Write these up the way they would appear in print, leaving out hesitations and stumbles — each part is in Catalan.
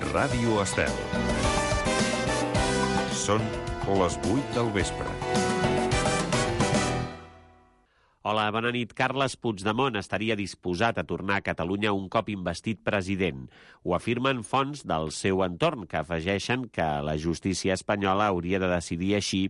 Ràdio Estel. Són les 8 del vespre. Hola, bona nit. Carles Puigdemont estaria disposat a tornar a Catalunya un cop investit president. Ho afirmen fonts del seu entorn, que afegeixen que la justícia espanyola hauria de decidir així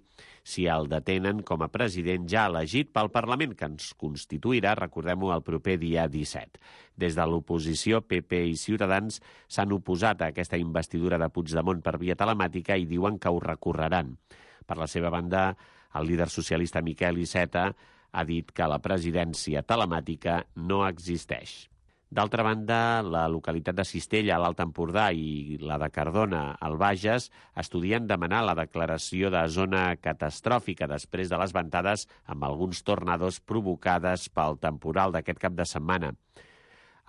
si el detenen com a president ja elegit pel Parlament, que ens constituirà, recordem-ho, el proper dia 17. Des de l'oposició, PP i Ciutadans s'han oposat a aquesta investidura de Puigdemont per via telemàtica i diuen que ho recorreran. Per la seva banda, el líder socialista Miquel Iceta ha dit que la presidència telemàtica no existeix. D'altra banda, la localitat de Cistella, a l'Alt Empordà, i la de Cardona, al Bages, estudien demanar la declaració de zona catastròfica després de les ventades amb alguns tornados provocades pel temporal d'aquest cap de setmana.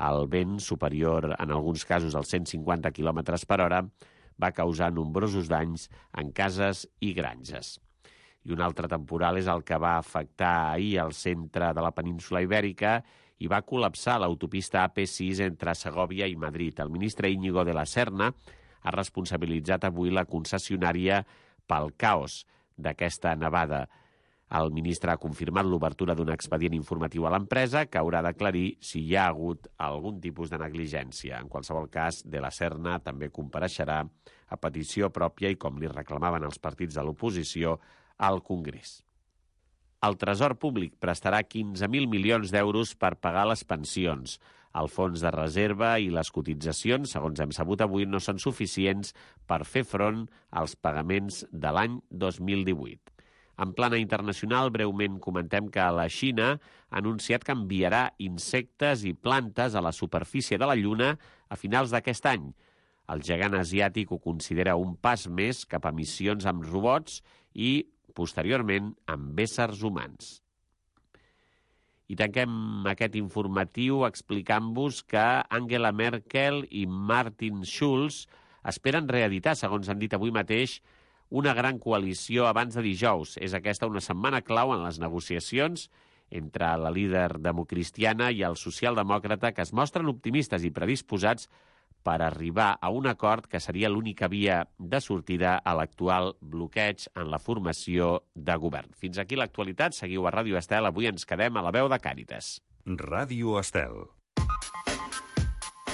El vent, superior en alguns casos als 150 km per hora, va causar nombrosos danys en cases i granges. I un altre temporal és el que va afectar ahir al centre de la península Ibèrica i va col·lapsar l'autopista AP6 entre Segòvia i Madrid. El ministre Íñigo de la Serna ha responsabilitzat avui la concessionària pel caos d'aquesta nevada. El ministre ha confirmat l'obertura d'un expedient informatiu a l'empresa que haurà d'aclarir si hi ha hagut algun tipus de negligència. En qualsevol cas, de la Serna també compareixerà a petició pròpia i, com li reclamaven els partits de l'oposició, al Congrés. El Tresor Públic prestarà 15.000 milions d'euros per pagar les pensions. El fons de reserva i les cotitzacions, segons hem sabut avui, no són suficients per fer front als pagaments de l'any 2018. En plana internacional, breument comentem que la Xina ha anunciat que enviarà insectes i plantes a la superfície de la Lluna a finals d'aquest any. El gegant asiàtic ho considera un pas més cap a missions amb robots i posteriorment amb éssers humans. I tanquem aquest informatiu explicant-vos que Angela Merkel i Martin Schulz esperen reeditar, segons han dit avui mateix, una gran coalició abans de dijous. És aquesta una setmana clau en les negociacions entre la líder democristiana i el socialdemòcrata, que es mostren optimistes i predisposats per arribar a un acord que seria l'única via de sortida a l'actual bloqueig en la formació de govern. Fins aquí l'actualitat. Seguiu a Ràdio Estel. Avui ens quedem a la veu de Càritas. Ràdio Estel.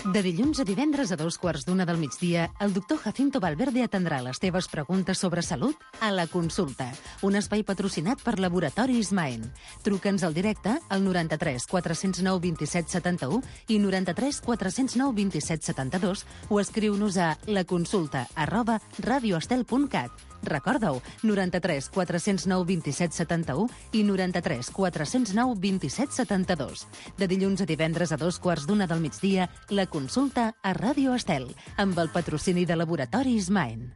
De dilluns a divendres a 2:15 del migdia, el doctor Jacinto Valverde atendrà les teves preguntes sobre salut a La Consulta, un espai patrocinat per Laboratoris Maen. Truca'ns al directe al 93 409 27 71 i 93 409 27 72 o escriu-nos a laconsulta@radioestel.cat. Recorda-ho, 93 409 27 71 i 93 409 27 72. De dilluns a divendres a 2:15 del migdia, La Consulta a Ràdio Estel, amb el patrocini de Laboratoris Maen.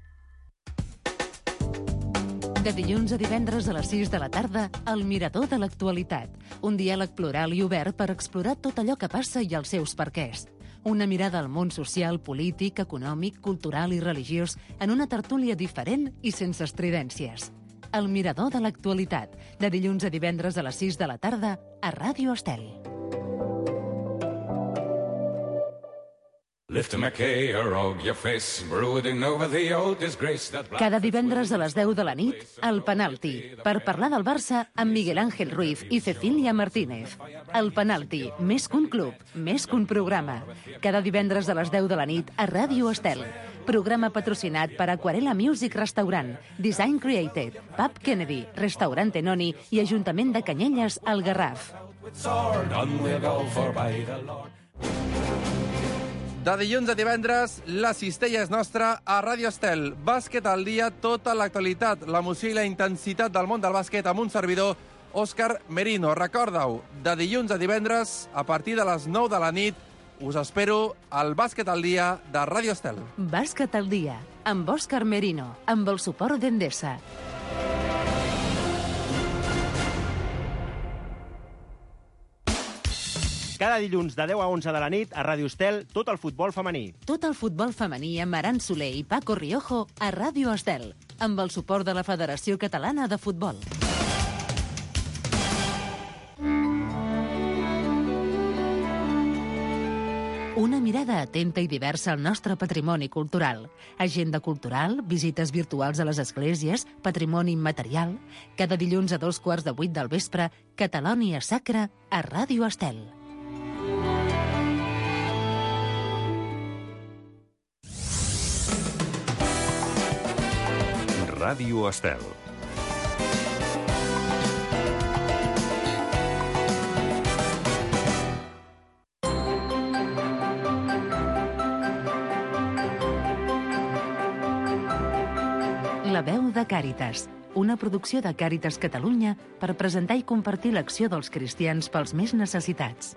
De dilluns a divendres a les 6 de la tarda, El Mirador de l'Actualitat. Un diàleg plural i obert per explorar tot allò que passa i els seus perquès. Una mirada al món social, polític, econòmic, cultural i religiós en una tertúlia diferent i sense estridències. El Mirador de l'Actualitat, de dilluns a divendres a les 6 de la tarda a Ràdio Estel. Cada divendres a les 10 de la nit, El Penalti, per parlar del Barça amb Miguel Ángel Ruiz i Cecília Martínez. El Penalti, més que un club, més que un programa. Cada divendres a les 10 de la nit a Ràdio Estel. Programa patrocinat per Aquarela Music Restaurant, Design Created, Pub Kennedy, Restaurant Tenoni i Ajuntament de Canyelles, al Garraf. De dilluns a divendres, la cistella és nostra a Ràdio Estel. Bàsquet al dia, tota l'actualitat, l'emoció i la intensitat del món del bàsquet amb un servidor, Òscar Merino. Recorda-ho, de dilluns a divendres, a partir de les 9 de la nit, us espero al Bàsquet al dia de Ràdio Estel. Bàsquet al dia, amb Òscar Merino, amb el suport d'Endesa. Cada dilluns de 10 a 11 de la nit a Ràdio Estel, tot el futbol femení. Tot el futbol femení amb Aran Soler i Paco Riojo a Ràdio Estel, amb el suport de la Federació Catalana de Futbol. Una mirada atenta i diversa al nostre patrimoni cultural. Agenda cultural, visites virtuals a les esglésies, patrimoni immaterial. Cada dilluns a 7:15 del vespre, Catalònia Sacra a Ràdio Estel. Ràdio Estel. La veu de Càritas, una producció de Càritas Catalunya per presentar i compartir l'acció dels cristians pels més necessitats.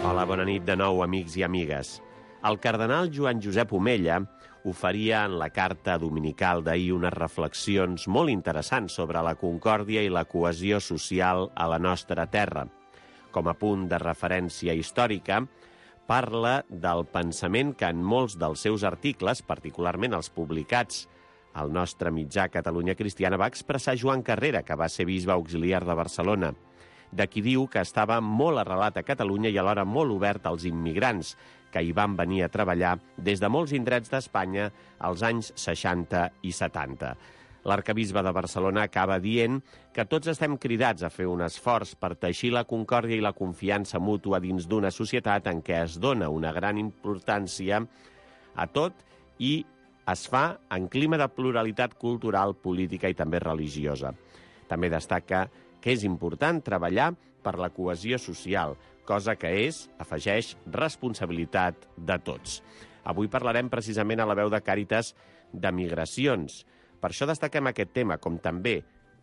Hola, bona nit de nou, amics i amigues. El cardenal Joan Josep Omella oferia en la carta dominical d'ahir unes reflexions molt interessants sobre la concòrdia i la cohesió social a la nostra terra. Com a punt de referència històrica, parla del pensament que en molts dels seus articles, particularment els publicats al nostre mitjà Catalunya Cristiana, va expressar Joan Carrera, que va ser bisbe auxiliar de Barcelona, de qui diu que estava molt arrelat a Catalunya i alhora molt obert als immigrants, que hi van venir a treballar des de molts indrets d'Espanya als anys 60 i 70. L'arcabisbe de Barcelona acaba dient que tots estem cridats a fer un esforç per teixir la concòrdia i la confiança mútua dins d'una societat en què es dona una gran importància a tot i es fa en clima de pluralitat cultural, política i també religiosa. També destaca que és important treballar per la cohesió social, cosa que és, afegeix, responsabilitat de tots. Avui parlarem precisament a la veu de Càritas de migracions. Per això destaquem aquest tema, com també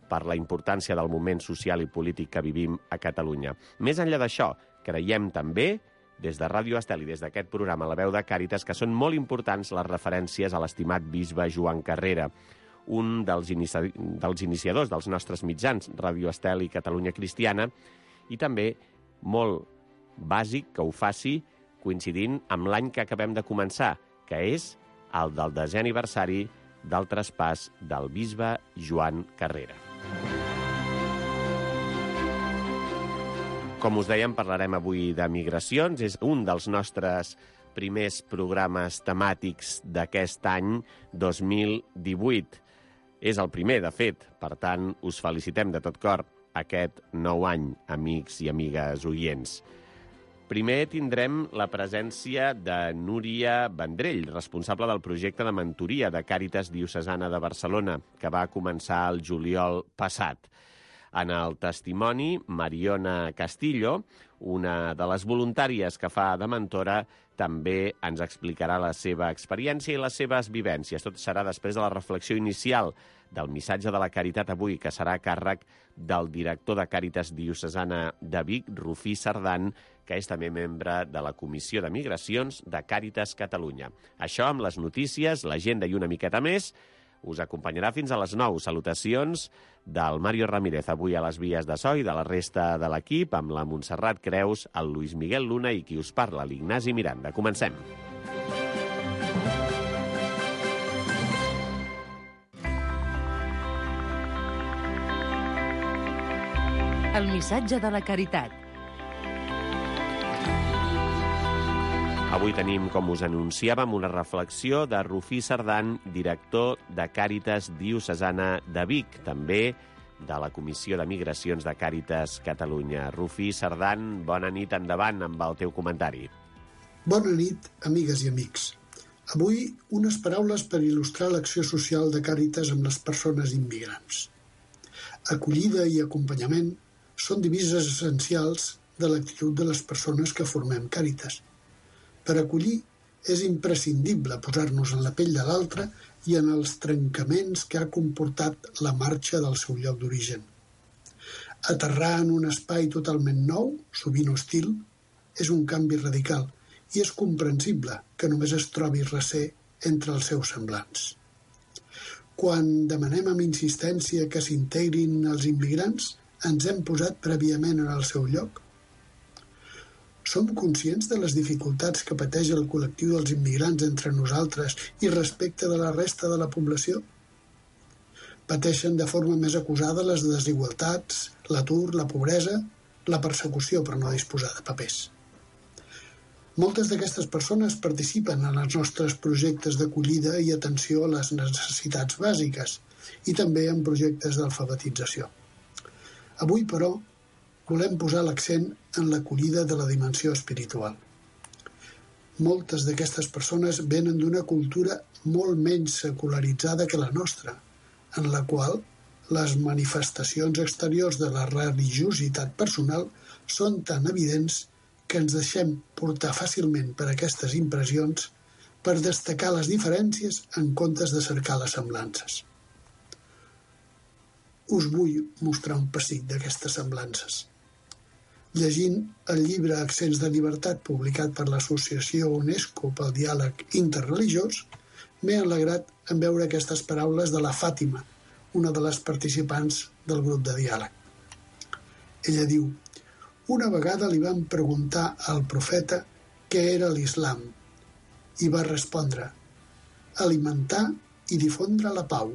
per la importància del moment social i polític que vivim a Catalunya. Més enllà d'això, creiem també, des de Ràdio Estel i des d'aquest programa La veu de Càritas, que són molt importants les referències a l'estimat bisbe Joan Carrera, un dels iniciadors dels nostres mitjans, Ràdio Estel i Catalunya Cristiana, i també molt bàsic que ho faci coincidint amb l'any que acabem de començar, que és el del 10è aniversari del traspàs del bisbe Joan Carrera. Com us dèiem, parlarem avui de migracions. És un dels nostres primers programes temàtics d'aquest any 2018. És el primer, de fet. Per tant, us felicitem de tot cor aquest nou any, amics i amigues oients. Primer tindrem la presència de Núria Vendrell, responsable del projecte de mentoria de Càritas Diocesana de Barcelona, que va començar el juliol passat. En el testimoni, Mariona Castillo, una de les voluntàries que fa de mentora, també ens explicarà la seva experiència i les seves vivències. Tot serà després de la reflexió inicial del missatge de la Caritat avui, que serà a càrrec del director de Càritas Diocesana de Vic, Rufí Cerdan, que és també membre de la Comissió de Migracions de Càritas Catalunya. Això amb les notícies, l'agenda i una miqueta més, us acompanyarà fins a les 9. Salutacions del Mario Ramírez, avui a les vies de so, i de la resta de l'equip, amb la Montserrat Creus, el Luis Miguel Luna i qui us parla, l'Ignasi Miranda. Comencem. El missatge de la Caritat. Avui tenim, com us anunciàvem, una reflexió de Rufí Cerdan, director de Càritas Diocesana de Vic, també de la Comissió de Migracions de Càritas Catalunya. Rufí Cerdan, bona nit, endavant amb el teu comentari. Bona nit, amigues i amics. Avui, unes paraules per il·lustrar l'acció social de Càritas amb les persones immigrants. Acollida i acompanyament són divises essencials de l'actitud de les persones que formem Càritas. Per acollir és imprescindible posar-nos en la pell de l'altre i en els trencaments que ha comportat la marxa del seu lloc d'origen. Aterrar en un espai totalment nou, sovint hostil, és un canvi radical i és comprensible que només es trobi recer entre els seus semblants. Quan demanem amb insistència que s'integrin els immigrants, ens hem posat prèviament en el seu lloc? Som conscients de les dificultats que pateix el col·lectiu dels immigrants entre nosaltres i respecte de la resta de la població? Pateixen de forma més acusada les desigualtats, l'atur, la pobresa, la persecució per no disposar de papers. Moltes d'aquestes persones participen en els nostres projectes d'acollida i atenció a les necessitats bàsiques i també en projectes d'alfabetització. Avui, però, volem posar l'accent en l'acollida de la dimensió espiritual. Moltes d'aquestes persones venen d'una cultura molt menys secularitzada que la nostra, en la qual les manifestacions exteriors de la religiositat personal són tan evidents que ens deixem portar fàcilment per aquestes impressions per destacar les diferències en comptes de cercar les semblances. Us vull mostrar un pessic d'aquestes semblances. Llegint el llibre Accents de llibertat publicat per l'Associació UNESCO pel diàleg interreligiós, m'he alegrat en veure aquestes paraules de la Fàtima, una de les participants del grup de diàleg. Ella diu: una vegada li van preguntar al profeta què era l'Islam i va respondre: alimentar i difondre la pau,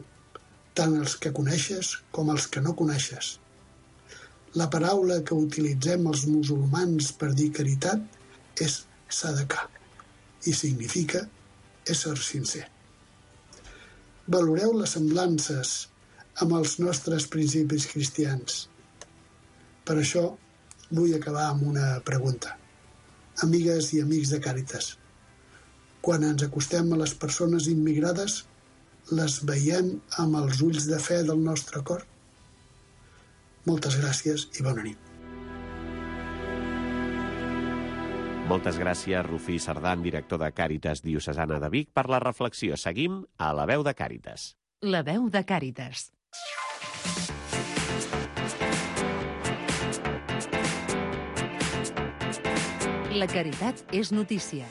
tant els que coneixes com els que no coneixes. La paraula que utilitzem els musulmans per dir caritat és sadaqah i significa ésser sincer. Valoreu les semblances amb els nostres principis cristians. Per això vull acabar amb una pregunta. Amigues i amics de Càritas, quan ens acostem a les persones immigrades, les veiem amb els ulls de fe del nostre cor? Moltes gràcies i bona nit. Moltes gràcies, Rufí Cerdan, director de Càritas Diocesana de Vic, per la reflexió. Seguim a La Veu de Càritas. La Veu de Càritas. La caritat és notícia.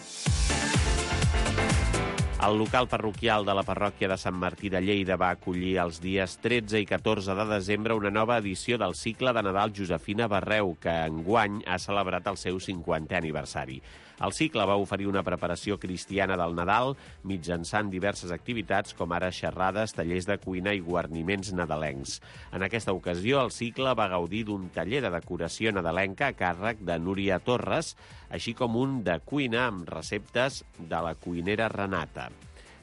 El local parroquial de la parròquia de Sant Martí de Lleida va acollir els dies 13 i 14 de desembre una nova edició del cicle de Nadal Josefina Barreu, que enguany ha celebrat el seu 50è aniversari. El cicle va oferir una preparació cristiana del Nadal mitjançant diverses activitats com ara xerrades, tallers de cuina i guarniments nadalencs. En aquesta ocasió, el cicle va gaudir d'un taller de decoració nadalenca a càrrec de Núria Torres, així com un de cuina amb receptes de la cuinera Renata.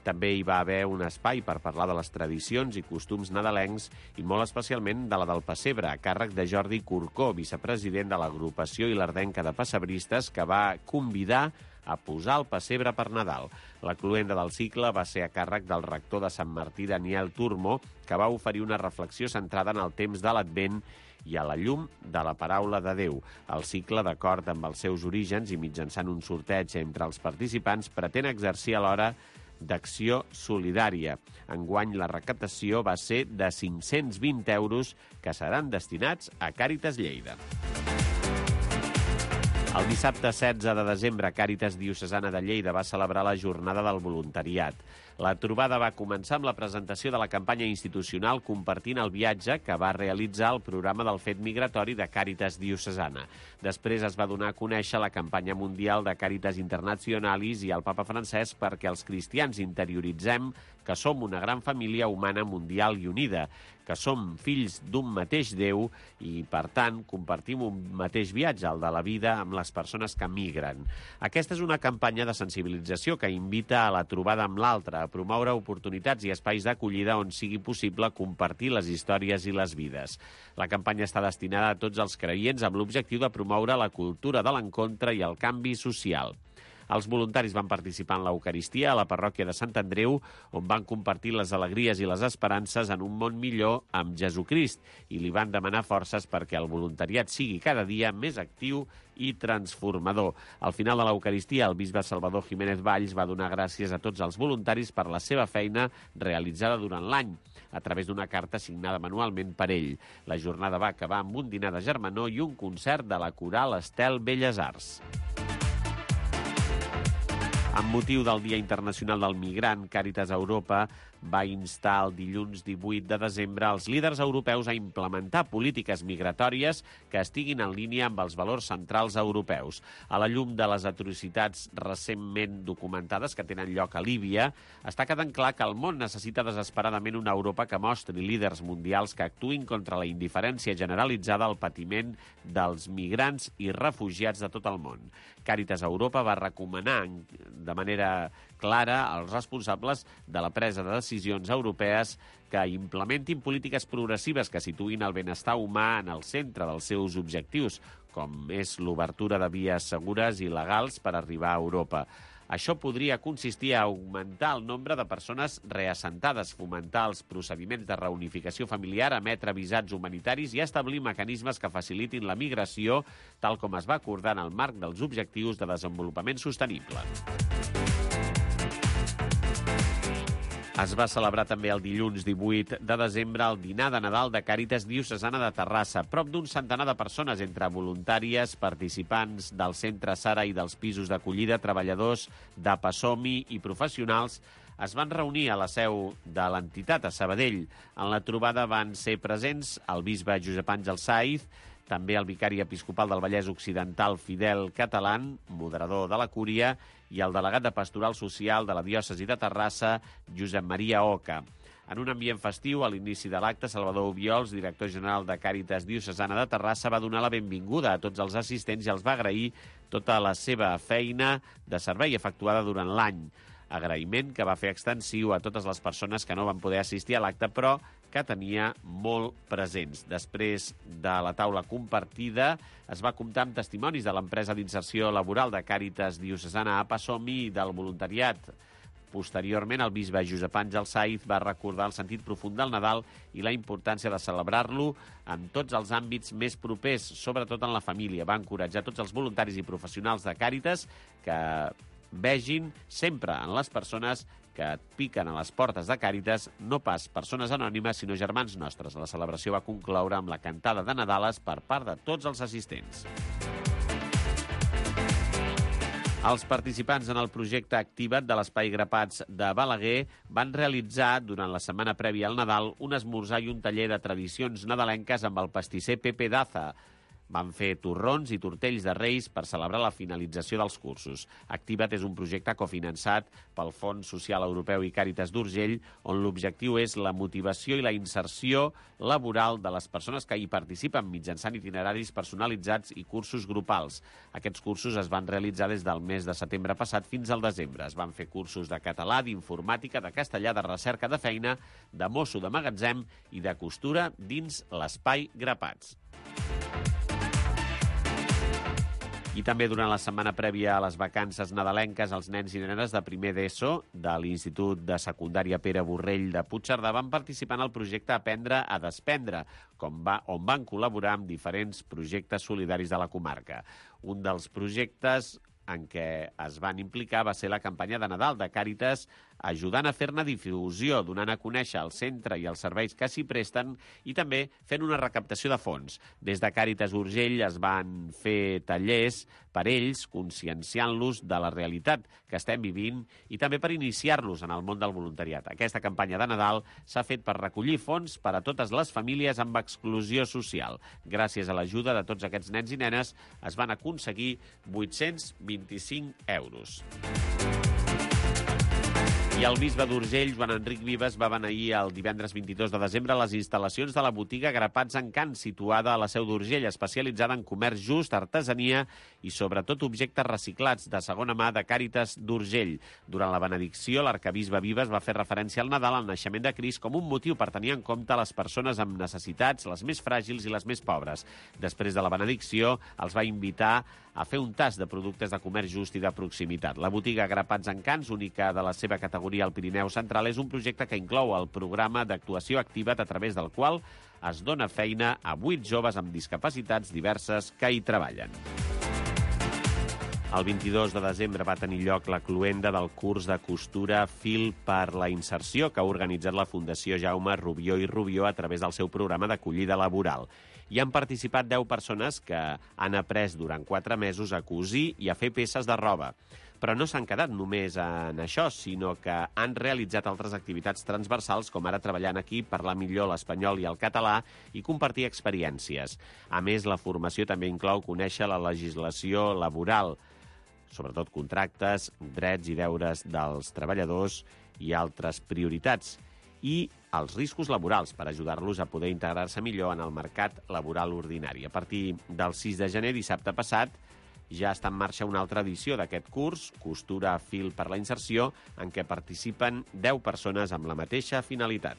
També hi va haver un espai per parlar de les tradicions i costums nadalencs i molt especialment de la del pessebre, a càrrec de Jordi Corcó, vicepresident de l'agrupació Ilardenca de Pessebristes, que va convidar a posar el pessebre per Nadal. La cloenda del cicle va ser a càrrec del rector de Sant Martí, Daniel Turmo, que va oferir una reflexió centrada en el temps de l'Advent i a la llum de la paraula de Déu. El cicle, d'acord amb els seus orígens i mitjançant un sorteig entre els participants, pretén exercir alhora d'acció solidària. Enguany la recaptació va ser de 520 euros que seran destinats a Càritas Lleida. El dissabte 16 de desembre, Càritas Diocesana de Lleida va celebrar la Jornada del Voluntariat. La trobada va començar amb la presentació de la campanya institucional Compartint el viatge que va realitzar el programa del fet migratori de Càritas Diocesana. Després es va donar a conèixer la campanya mundial de Càritas Internationalis i el Papa Francesc perquè els cristians interioritzem que som una gran família humana mundial i unida, que som fills d'un mateix Déu i, per tant, compartim un mateix viatge, el de la vida, amb les persones que migren. Aquesta és una campanya de sensibilització que invita a la trobada amb l'altre, a promoure oportunitats i espais d'acollida on sigui possible compartir les històries i les vides. La campanya està destinada a tots els creients amb l'objectiu de promoure la cultura de l'encontre i el canvi social. Els voluntaris van participar en l'Eucaristia a la parròquia de Sant Andreu, on van compartir les alegries i les esperances en un món millor amb Jesucrist i li van demanar forces perquè el voluntariat sigui cada dia més actiu i transformador. Al final de l'Eucaristia, el bisbe Salvador Jiménez Valls va donar gràcies a tots els voluntaris per la seva feina realitzada durant l'any, a través d'una carta signada manualment per ell. La jornada va acabar amb un dinar de germanor i un concert de la coral Estel Belles Arts. Amb motiu del Dia Internacional del Migrant, Càritas Europa va instar el dilluns 18 de desembre els líders europeus a implementar polítiques migratòries que estiguin en línia amb els valors centrals europeus. A la llum de les atrocitats recentment documentades que tenen lloc a Líbia, està quedant clar que el món necessita desesperadament una Europa que mostri líders mundials que actuïn contra la indiferència generalitzada al patiment dels migrants i refugiats de tot el món. Càritas Europa va recomanar de manera clara als responsables de la presa de decisions europees que implementin polítiques progressives que situïn el benestar humà en el centre dels seus objectius, com és l'obertura de vies segures i legals per arribar a Europa. Això podria consistir a augmentar el nombre de persones reassentades, fomentar els procediments de reunificació familiar, emetre visats humanitaris i establir mecanismes que facilitin la migració, tal com es va acordar en el marc dels Objectius de Desenvolupament Sostenible. Es va celebrar també el dilluns 18 de desembre el dinar de Nadal de Càritas Diocesana de Terrassa. Prop d'un centenar de persones, entre voluntàries, participants del Centre Sara i dels pisos d'acollida, treballadors de Passomi i professionals, es van reunir a la seu de l'entitat, a Sabadell. En la trobada van ser presents el bisbe Josep Àngel Saiz, també el vicari episcopal del Vallès Occidental, Fidel Catalán, moderador de la Cúria, i el delegat de Pastoral Social de la diòcesi de Terrassa, Josep Maria Oca. En un ambient festiu, a l'inici de l'acte, Salvador Obiols, director general de Càritas Diocesana de Terrassa, va donar la benvinguda a tots els assistents i els va agrair tota la seva feina de servei efectuada durant l'any. Agraïment que va fer extensiu a totes les persones que no van poder assistir a l'acte, però que tenia molt presents. Després de la taula compartida, es va comptar amb testimonis de l'empresa d'inserció laboral de Càritas Diocesana a Passomi i del voluntariat. Posteriorment, el bisbe Josep Àngel Saiz va recordar el sentit profund del Nadal i la importància de celebrar-lo en tots els àmbits més propers, sobretot en la família. Va encoratjar tots els voluntaris i professionals de Càritas que vegin sempre en les persones que et piquen a les portes de Càritas, no pas persones anònimes, sinó germans nostres. La celebració va concloure amb la cantada de Nadales per part de tots els assistents. Els participants en el projecte Activa't de l'Espai Grapats de Balaguer van realitzar, durant la setmana prèvia al Nadal, un esmorzar i un taller de tradicions nadalenques amb el pastisser Pepe Daza. Van fer torrons i tortells de Reis per celebrar la finalització dels cursos. Activa't és un projecte cofinançat pel Fons Social Europeu i Càritas d'Urgell, on l'objectiu és la motivació i la inserció laboral de les persones que hi participen mitjançant itineraris personalitzats i cursos grupals. Aquests cursos es van realitzar des del mes de setembre passat fins al desembre. Es van fer cursos de català, d'informàtica, de castellà, de recerca de feina, de mosso de magatzem i de costura dins l'Espai Grapats. I també durant la setmana prèvia a les vacances nadalenques, els nens i nenes de primer d'ESO de l'Institut de Secundària Pere Borrell de Puigcerdà van participar en el projecte Aprendre a Despendre, on van col·laborar amb diferents projectes solidaris de la comarca. Un dels projectes en què es van implicar va ser la campanya de Nadal de Càritas, ajudant a fer-ne difusió, donant a conèixer el centre i els serveis que s'hi presten i també fent una recaptació de fons. Des de Càritas Urgell es van fer tallers per ells, conscienciant-los de la realitat que estem vivint i també per iniciar-los en el món del voluntariat. Aquesta campanya de Nadal s'ha fet per recollir fons per a totes les famílies amb exclusió social. Gràcies a l'ajuda de tots aquests nens i nenes es van aconseguir 825 euros. I el bisbe d'Urgell, Joan Enric Vives, va beneir el divendres 22 de desembre a les instal·lacions de la botiga Grapats en Can, situada a la Seu d'Urgell, especialitzada en comerç just, artesania i sobretot objectes reciclats de segona mà de Càritas d'Urgell. Durant la benedicció, l'arcabisbe Vives va fer referència al Nadal, al naixement de Crist, com un motiu per tenir en compte les persones amb necessitats, les més fràgils i les més pobres. Després de la benedicció, els va invitar a fer un tast de productes de comerç just i de proximitat. La botiga Grapats en Cans, única de la seva categoria al Pirineu Central, és un projecte que inclou el programa d'actuació Activa't, a través del qual es dona feina a 8 joves amb discapacitats diverses que hi treballen. El 22 de desembre va tenir lloc la cloenda del curs de costura Fil per la Inserció que ha organitzat la Fundació Jaume Rubió i Rubió a través del seu programa d'acollida laboral. Hi han participat 10 persones que han après durant 4 mesos a cosir i a fer peces de roba. Però no s'han quedat només en això, sinó que han realitzat altres activitats transversals, com ara treballar en equip, parlar millor l'espanyol i el català i compartir experiències. A més, la formació també inclou conèixer la legislació laboral, sobretot contractes, drets i deures dels treballadors i altres prioritats, i els riscos laborals per ajudar-los a poder integrar-se millor en el mercat laboral ordinari. A partir del 6 de gener, dissabte passat, ja està en marxa una altra edició d'aquest curs, Costura Fil per la Inserció, en què participen 10 persones amb la mateixa finalitat.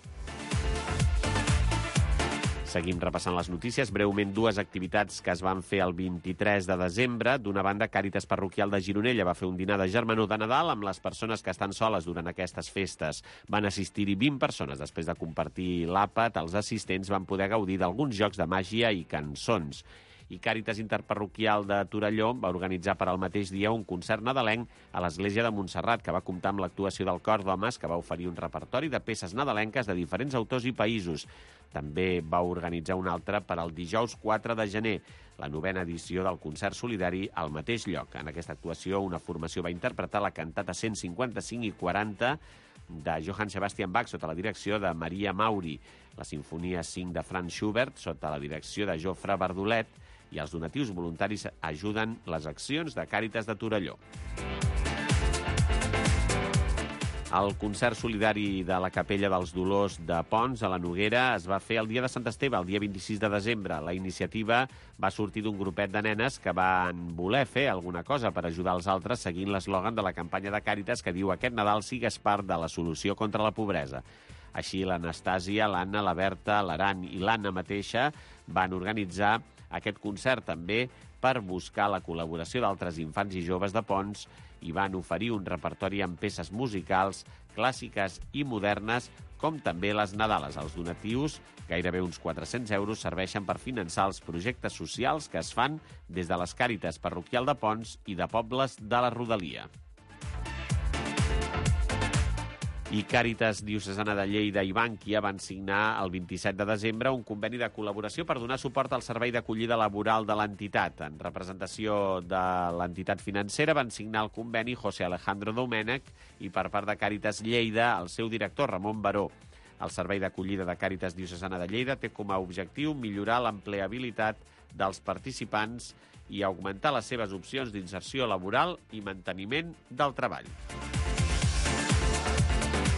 Seguim repassant les notícies. Breument, 2 activitats que es van fer el 23 de desembre. D'una banda, Càritas Parroquial de Gironella va fer un dinar de germanor de Nadal amb les persones que estan soles durant aquestes festes. Van assistir-hi 20 persones. Després de compartir l'àpat, els assistents van poder gaudir d'alguns jocs de màgia i cançons. I Càritas Interparroquial de Torelló va organitzar per al mateix dia un concert nadalenc a l'església de Montserrat, que va comptar amb l'actuació del cor d'homes, que va oferir un repertori de peces nadalenques de diferents autors i països. També va organitzar un altre per al dijous 4 de gener, la 9a edició del concert solidari al mateix lloc. En aquesta actuació, una formació va interpretar la cantata 155 i 40 de Johann Sebastian Bach sota la direcció de Maria Mauri, la Sinfonia 5 de Franz Schubert sota la direcció de Jofre Bardolet, i els donatius voluntaris ajuden les accions de Càritas de Torelló. El concert solidari de la Capella dels Dolors de Pons, a la Noguera, es va fer el dia de Sant Esteve, el dia 26 de desembre. La iniciativa va sortir d'un grupet de nenes que van voler fer alguna cosa per ajudar els altres seguint l'eslògan de la campanya de Càritas que diu «Aquest Nadal sigues part de la solució contra la pobresa». Així, l'Anastàsia, l'Anna, la Berta, l'Aran i l'Anna mateixa van organitzar aquest concert també per buscar la col·laboració d'altres infants i joves de Pons i van oferir un repertori amb peces musicals, clàssiques i modernes, com també les Nadales. Els donatius, gairebé uns 400 euros, serveixen per finançar els projectes socials que es fan des de les Càritas Parroquial de Pons i de pobles de la rodalia. I Càritas Diocesana de Lleida i Bànquia van signar el 27 de desembre un conveni de col·laboració per donar suport al servei d'acollida laboral de l'entitat. En representació de l'entitat financera van signar el conveni José Alejandro Domènech i per part de Càritas Lleida el seu director Ramon Baró. El servei d'acollida de Càritas Diocesana de Lleida té com a objectiu millorar l'empleabilitat dels participants i augmentar les seves opcions d'inserció laboral i manteniment del treball.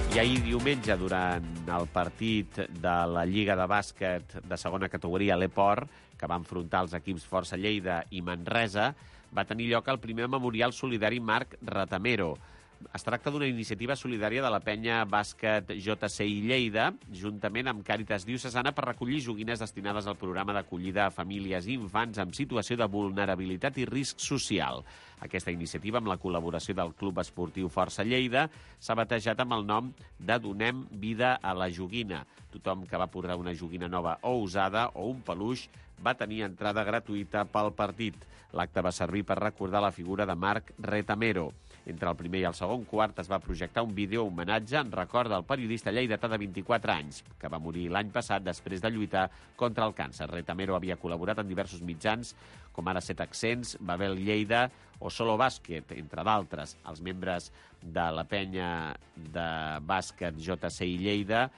I ahir diumenge, durant el partit de la Lliga de Bàsquet de segona categoria, l'Eport, que va enfrontar els equips Força Lleida i Manresa, va tenir lloc el primer memorial solidari Marc Ratamero. Es tracta d'una iniciativa solidària de la penya Bàsquet JCI Lleida, juntament amb Càritas Diocesana, per recollir joguines destinades al programa d'acollida a famílies i infants en situació de vulnerabilitat i risc social. Aquesta iniciativa, amb la col·laboració del Club Esportiu Força Lleida, s'ha batejat amb el nom de Donem Vida a la Joguina. Tothom que va portar una joguina nova o usada o un peluix va tenir entrada gratuïta pel partit. L'acte va servir per recordar la figura de Marc Retamero. Entre el primer i el segon quart es va projectar un vídeo homenatge en record del periodista lleidatà de 24 anys, que va morir l'any passat després de lluitar contra el càncer. Retamero havia col·laborat en diversos mitjans, com ara 7 Accents, Babel Lleida o Solo Bàsquet, entre d'altres. Els membres de la penya de bàsquet JCI Lleida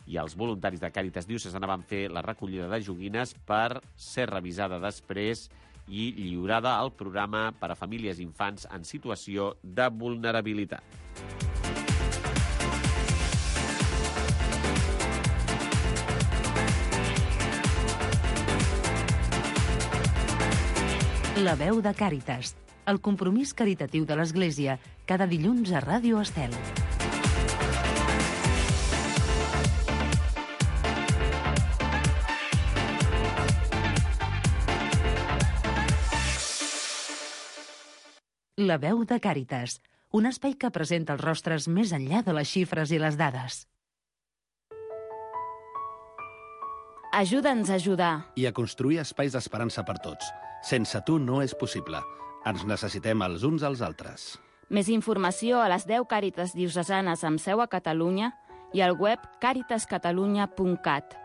i els voluntaris de Càritas Diocesana van fer la recollida de joguines per ser revisada després i lliurada al programa per a famílies i infants en situació de vulnerabilitat. La veu de Càritas, el compromís caritatiu de l'Església, cada dilluns a Ràdio Estel. La veu de Càritas, un espai que presenta els rostres més enllà de les xifres i les dades. Ajuda'ns a ajudar. I a construir espais d'esperança per tots. Sense tu no és possible. Ens necessitem els uns als altres. Més informació a les 10 Càritas diocesanes amb seu a Catalunya i al web caritascatalunya.cat.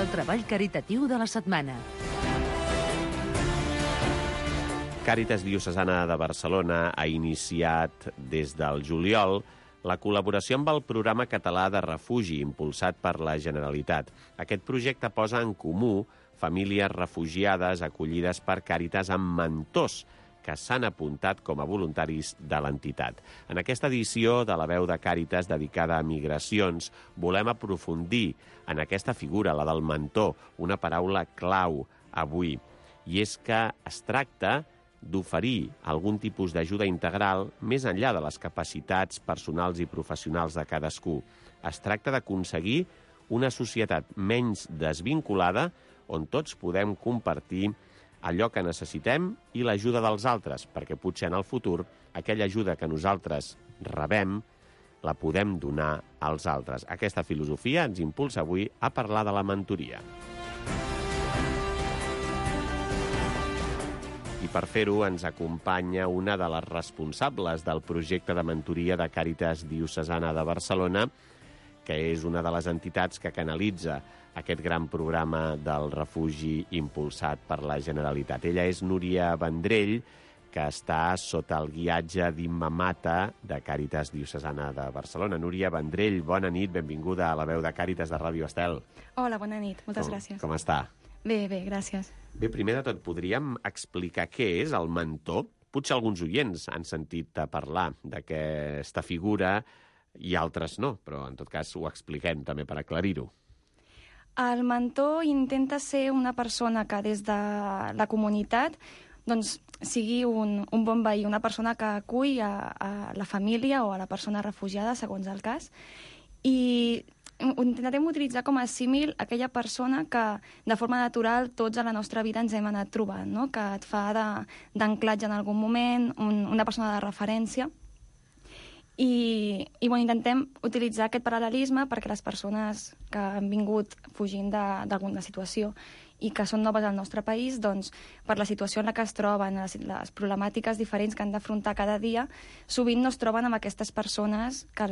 el treball caritatiu de la setmana. Càritas Diocesana de Barcelona ha iniciat des del juliol la col·laboració amb el programa català de refugi impulsat per la Generalitat. Aquest projecte posa en comú famílies refugiades acollides per Càritas amb mentors que s'han apuntat com a voluntaris de l'entitat. En aquesta edició de La Veu de Càritas dedicada a migracions volem aprofundir en aquesta figura, la del mentor, una paraula clau avui. I és que es tracta d'oferir algun tipus d'ajuda integral més enllà de les capacitats personals i professionals de cadascú. Es tracta d'aconseguir una societat menys desvinculada on tots podem compartir allò que necessitem i l'ajuda dels altres, perquè potser en el futur aquella ajuda que nosaltres rebem la podem donar als altres. Aquesta filosofia ens impulsa avui a parlar de la mentoria. I per fer-ho ens acompanya una de les responsables del projecte de mentoria de Càritas Diocesana de Barcelona, que és una de les entitats que canalitza aquest gran programa del refugi impulsat per la Generalitat. Ella és Núria Vendrell, que està sota el guiatge d'Imma Mata de Càritas Diocesana de Barcelona. Núria Vendrell, bona nit, benvinguda a La Veu de Càritas de Ràdio Estel. Hola, bona nit, moltes gràcies. Com està? Bé, gràcies. Bé, primer de tot, podríem explicar què és el mentor? Potser alguns oients han sentit a parlar d'aquesta figura i altres no, però en tot cas ho expliquem també per aclarir-ho. El mentor intenta ser una persona que des de la comunitat doncs, sigui un bon veí, una persona que acull a la família o a la persona refugiada, segons el cas, i intentarem utilitzar com a símil aquella persona que de forma natural tots a la nostra vida ens hem anat trobant, no? Que et fa d'anclatge en algun moment, una persona de referència. I intentem utilitzar aquest paral·lelisme perquè les persones que han vingut fugint d'alguna situació i que són noves al nostre país, doncs, per la situació en la que es troben, les problemàtiques diferents que han d'afrontar cada dia, sovint no es troben amb aquestes persones que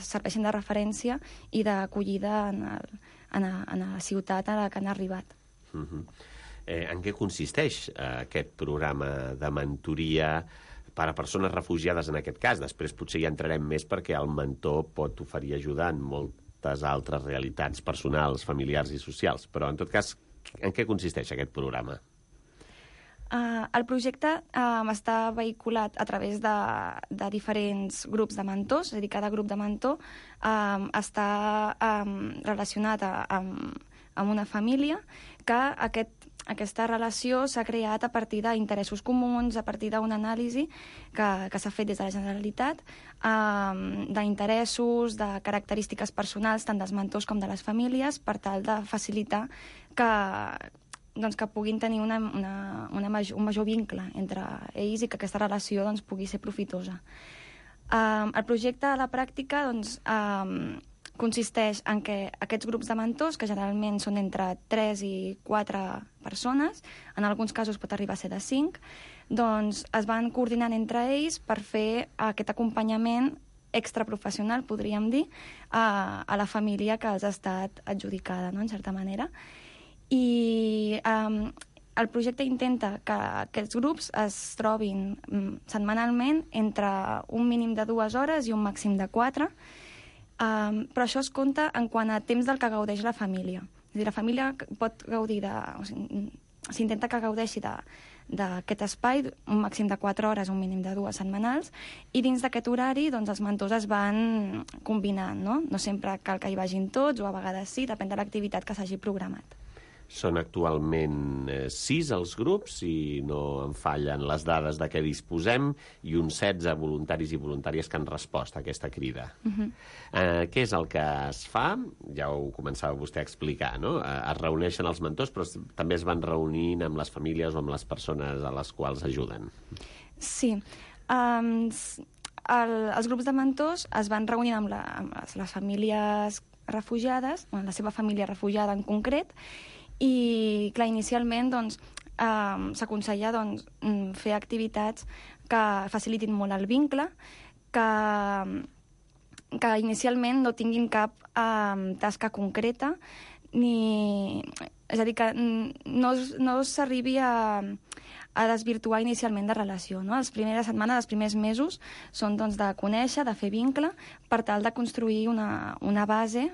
serveixen de referència i d'acollida en la ciutat a la que han arribat. En què consisteix aquest programa de mentoria per a persones refugiades en aquest cas? Després potser hi entrarem més perquè el mentor pot oferir ajuda en moltes altres realitats personals, familiars i socials. Però, en tot cas, en què consisteix aquest programa? El projecte està vehiculat a través de diferents grups de mentors, és a dir, cada grup de mentor està relacionat amb una família que aquesta relació s'ha creat a partir d'interessos comuns, a partir d'una anàlisi que s'ha fet des de la Generalitat, d'interessos, de característiques personals, tant dels mentors com de les famílies, per tal de facilitar que puguin tenir un major vincle entre ells i que aquesta relació pugui ser profitosa. El projecte a la pràctica consisteix en què aquests grups de mentors, que generalment són entre 3 i 4 persones, en alguns casos pot arribar a ser de 5, doncs es van coordinant entre ells per fer aquest acompanyament extraprofessional, podríem dir, a la família que els ha estat adjudicada, no?, en certa manera. I el projecte intenta que aquests grups es trobin setmanalment entre un mínim de 2 hores i un màxim de 4, però això es compta en quant a temps del que gaudeix la família. És a dir, la família pot gaudir s'intenta que gaudeixi d'aquest espai, un màxim de 4 hores, un mínim de 2 setmanals, i dins d'aquest horari els mentors es van combinant, no? No sempre cal que hi vagin tots, o a vegades sí, depèn de l'activitat que s'hagi programat. Són actualment 6 els grups, si no em fallen les dades de què disposem, i uns 16 voluntaris i voluntàries que han respost a aquesta crida. Què és el que es fa? Ja ho començava vostè a explicar, no? Es reuneixen els mentors, però també es van reunint amb les famílies o amb les persones a les quals ajuden. Sí. Els grups de mentors es van reunint amb les famílies refugiades, la seva família refugiada en concret, i, clar, inicialment s'aconsella fer activitats que facilitin molt el vincle, que inicialment no tinguin cap tasca concreta És a dir, que no s'arribi a desvirtuar inicialment la relació, no? Les primeres setmanes, els primers mesos són doncs, de conèixer, de fer vincle, per tal de construir una base,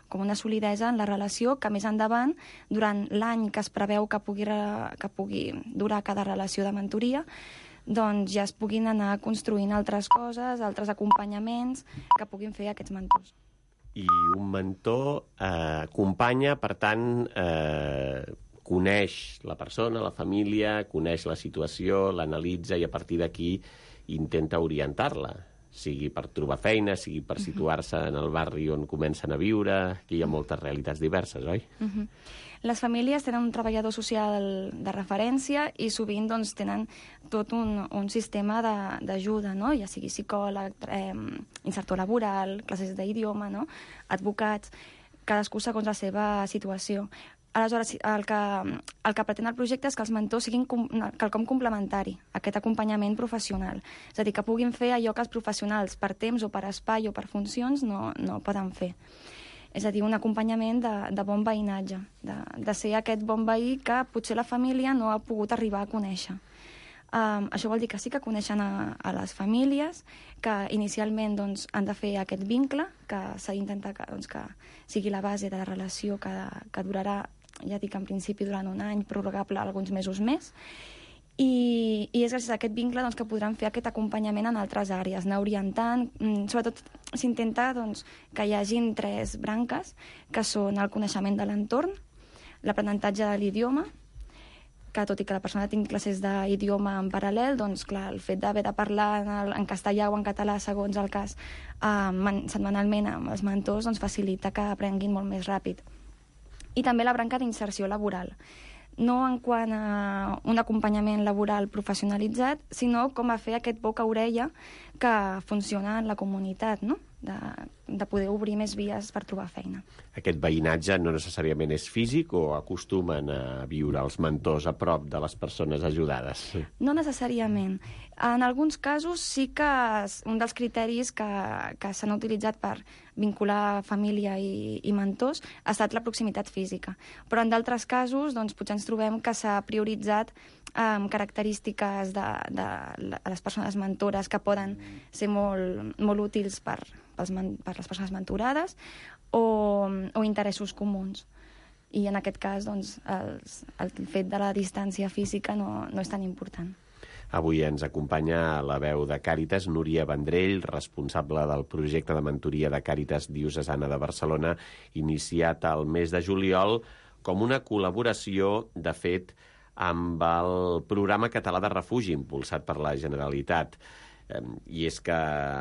com una solidesa en la relació que més endavant, durant l'any que es preveu que pugui durar cada relació de mentoria, doncs ja es puguin anar construint altres coses, altres acompanyaments que puguin fer aquests mentors. I un mentor acompanya, per tant, coneix la persona, la família, coneix la situació, l'analitza i a partir d'aquí intenta orientar-la, sigui per trobar feina, sigui per situar-se en el barri on comencen a viure, que hi ha moltes realitats diverses, oi? Les famílies tenen un treballador social de referència i sovint doncs, tenen tot un sistema d'ajuda, no? Ja sigui psicòleg, insertor laboral, classes d'idioma, no? Advocats, cadascú segons la seva situació. Aleshores, el que pretén el projecte és que els mentors siguin quelcom complementari, aquest acompanyament professional. És a dir, que puguin fer allò que els professionals, per temps o per espai o per funcions, no poden fer. És a dir, un acompanyament de bon veïnatge, de ser aquest bon veí que potser la família no ha pogut arribar a conèixer. Això vol dir que sí que coneixen a les famílies, que inicialment doncs, han de fer aquest vincle, que s'ha d'intentar que sigui la base de la relació que durarà, ja dic en principi durant un any, prorrogable alguns mesos més, i és gràcies a aquest vincle doncs, que podran fer aquest acompanyament en altres àrees, anar orientant. Sobretot s'intenta doncs, que hi hagin 3 branques, que són el coneixement de l'entorn, l'aprenentatge de l'idioma, que tot i que la persona tingui classes d'idioma en paral·lel, doncs clar, el fet d'haver de parlar en castellà o en català, segons el cas, setmanalment amb els mentors, doncs facilita que aprenguin molt més ràpid. I també la branca d'inserció laboral. No en quant a un acompanyament laboral professionalitzat, sinó com a fer aquest boca-orella que funciona en la comunitat, no? De poder obrir més vies per trobar feina. Aquest veïnatge no necessàriament és físic o acostumen a viure els mentors a prop de les persones ajudades? No necessàriament. En alguns casos sí que un dels criteris que s'han utilitzat per vincular família i mentors ha estat la proximitat física. Però en d'altres casos doncs, potser ens trobem que s'ha prioritzat característiques de les persones mentores que poden ser molt útils per les persones mentorades o interessos comuns. I en aquest cas doncs, el fet de la distància física no és tan important. Avui ens acompanya la veu de Càritas, Núria Vendrell, responsable del projecte de mentoria de Càritas Diocesana de Barcelona, iniciat al mes de juliol com una col·laboració, de fet, amb el programa català de refugi impulsat per la Generalitat. I és que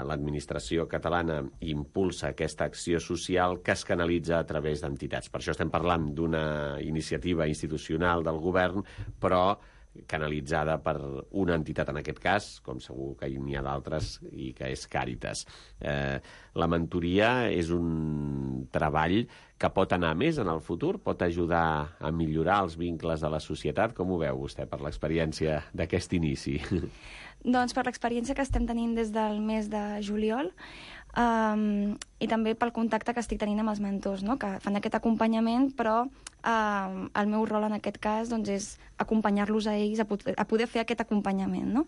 l'administració catalana impulsa aquesta acció social que es canalitza a través d'entitats. Per això estem parlant d'una iniciativa institucional del govern, però canalitzada per una entitat, en aquest cas, com segur que n'hi ha d'altres, i que és Càritas. La mentoria és un treball que pot anar més en el futur? Pot ajudar a millorar els vincles de la societat? Com ho veu vostè per l'experiència d'aquest inici? Doncs per l'experiència que estem tenint des del mes de juliol i també pel contacte que estic tenint amb els mentors, no? Que fan aquest acompanyament, però el meu rol en aquest cas doncs, és acompanyar-los a ells a poder fer aquest acompanyament. No?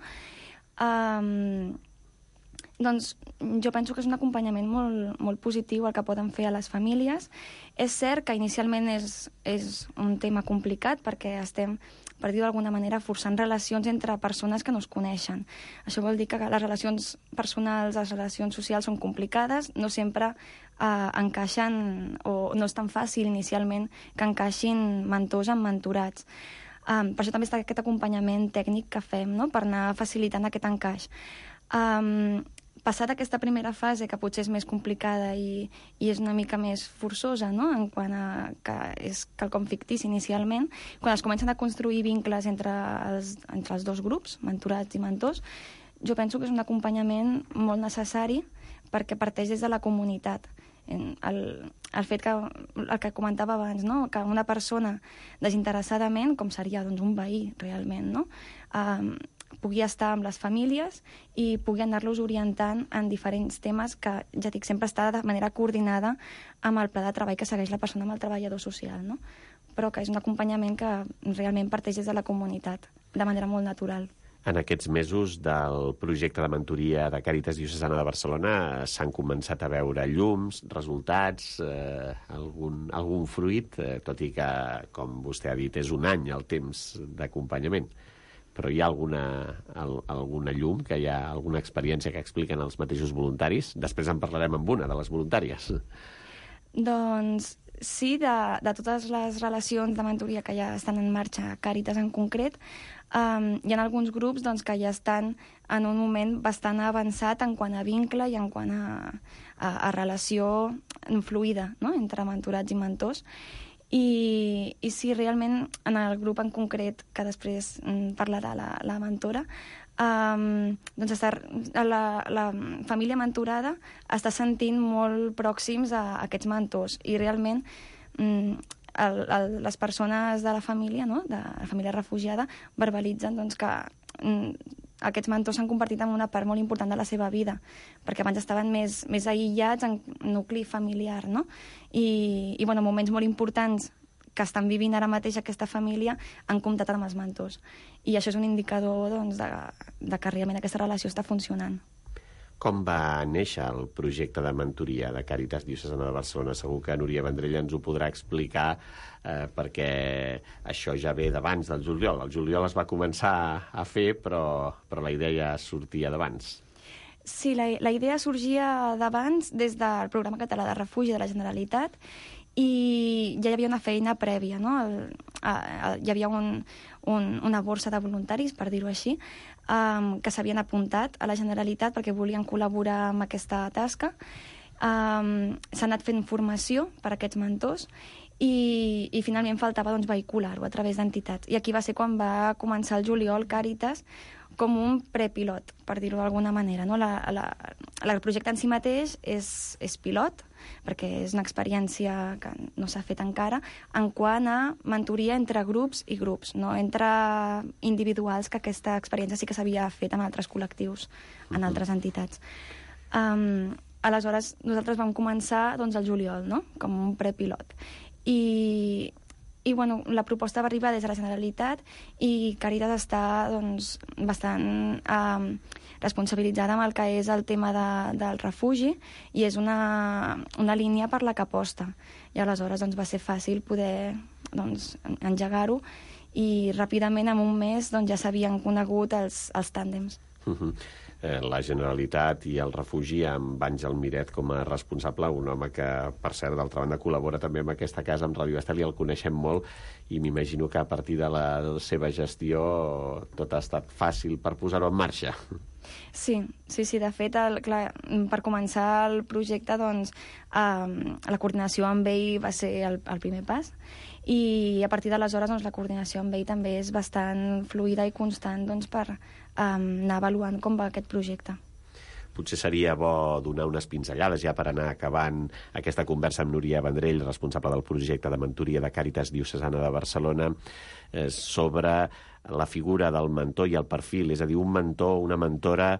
Doncs jo penso que és un acompanyament molt positiu el que poden fer a les famílies. És cert que inicialment és un tema complicat perquè estem, per dir-ho d'alguna manera, forçant relacions entre persones que no es coneixen. Això vol dir que les relacions personals, les relacions socials són complicades, no sempre encaixen, o no és tan fàcil inicialment que encaixin mentors amb mentorats. Per això també està aquest acompanyament tècnic que fem, no? Per anar facilitant aquest encaix. Passat aquesta primera fase, que potser és més complicada i és una mica més forçosa, no? En quant a que és quelcom fictici inicialment, quan es comencen a construir vincles entre els dos grups, mentorats i mentors, jo penso que és un acompanyament molt necessari perquè parteix des de la comunitat. El fet que, el que comentava abans, no? Que una persona desinteressadament, com seria doncs, un veí realment, no? pugui estar amb les famílies i pugui anar-los orientant en diferents temes que, ja dic, sempre està de manera coordinada amb el pla de treball que segueix la persona amb el treballador social, no? Però que és un acompanyament que realment parteix des de la comunitat, de manera molt natural. En aquests mesos del projecte de mentoria de Càritas Diocesana de Barcelona s'han començat a veure llums, resultats, algun fruit, tot i que, com vostè ha dit, és un any el temps d'acompanyament. Però hi ha alguna llum, que hi ha alguna experiència que expliquen els mateixos voluntaris? Després en parlarem amb una de les voluntàries. Doncs sí, de totes les relacions de mentoria que ja estan en marxa a Càritas en concret, hi ha alguns grups doncs, que ja estan en un moment bastant avançat en quant a vincle i en quant a relació fluida, no?, entre mentorats i mentors. I sí, realment, en el grup en concret, que després parlarà la mentora, doncs la família mentorada està sentint molt pròxims a aquests mentors i realment les persones de la família, no?, de la família refugiada, verbalitzen doncs, que aquests mentors s'han convertit en una part molt important de la seva vida, perquè abans estaven més aïllats en nucli familiar, no? I bueno, moments molt importants que estan vivint ara mateix aquesta família han comptat amb els mentors. I això és un indicador doncs, de que realment aquesta relació està funcionant. Com va néixer el projecte de mentoria de Càritas Diocesana de Barcelona? Segur que Núria Vendrell ens ho podrà explicar, perquè això ja ve d'abans del juliol. El juliol es va començar a fer, però la idea sortia d'abans. Sí, la idea sorgia d'abans des del Programa Català de Refugi de la Generalitat i ja hi havia una feina prèvia, no? Hi havia una borsa de voluntaris, per dir-ho així, que s'havien apuntat a la Generalitat perquè volien col·laborar amb aquesta tasca. S'ha anat fent formació per a aquests mentors i finalment faltava doncs, vehicular-ho a través d'entitats. I aquí va ser quan va començar el juliol Càritas com un prepilot, per dir-ho d'alguna manera. No? El projecte en si mateix és pilot, perquè és una experiència que no s'ha fet encara, en quant a mentoria entre grups i grups, no entre individuals, que aquesta experiència sí que s'havia fet en altres col·lectius, en altres entitats. Aleshores, nosaltres vam començar doncs, el juliol, no? Com un prepilot. I bueno, la proposta va arribar des de la Generalitat i Càritas està doncs, bastant responsabilitzada amb el que és el tema del refugi i és una línia per la que aposta. I aleshores doncs, va ser fàcil poder doncs, engegar-ho i ràpidament, en un mes, doncs, ja s'havien conegut els tàndems. La Generalitat i el refugi amb Àngel Miret com a responsable, un home que, per cert, d'altra banda, col·labora també amb aquesta casa, amb Ràdio Estel, i el coneixem molt, i m'imagino que a partir de la seva gestió tot ha estat fàcil per posar-ho en marxa. Sí. De fet, per començar el projecte, doncs, la coordinació amb ell va ser el primer pas, i a partir d'aleshores doncs, la coordinació amb ell també és bastant fluida i constant doncs, per anar avaluant com va aquest projecte. Potser seria bo donar unes pinzellades ja per anar acabant aquesta conversa amb Núria Vendrell, responsable del projecte de mentoria de Càritas Diocesana de Barcelona, sobre la figura del mentor i el perfil. És a dir, un mentor, una mentora,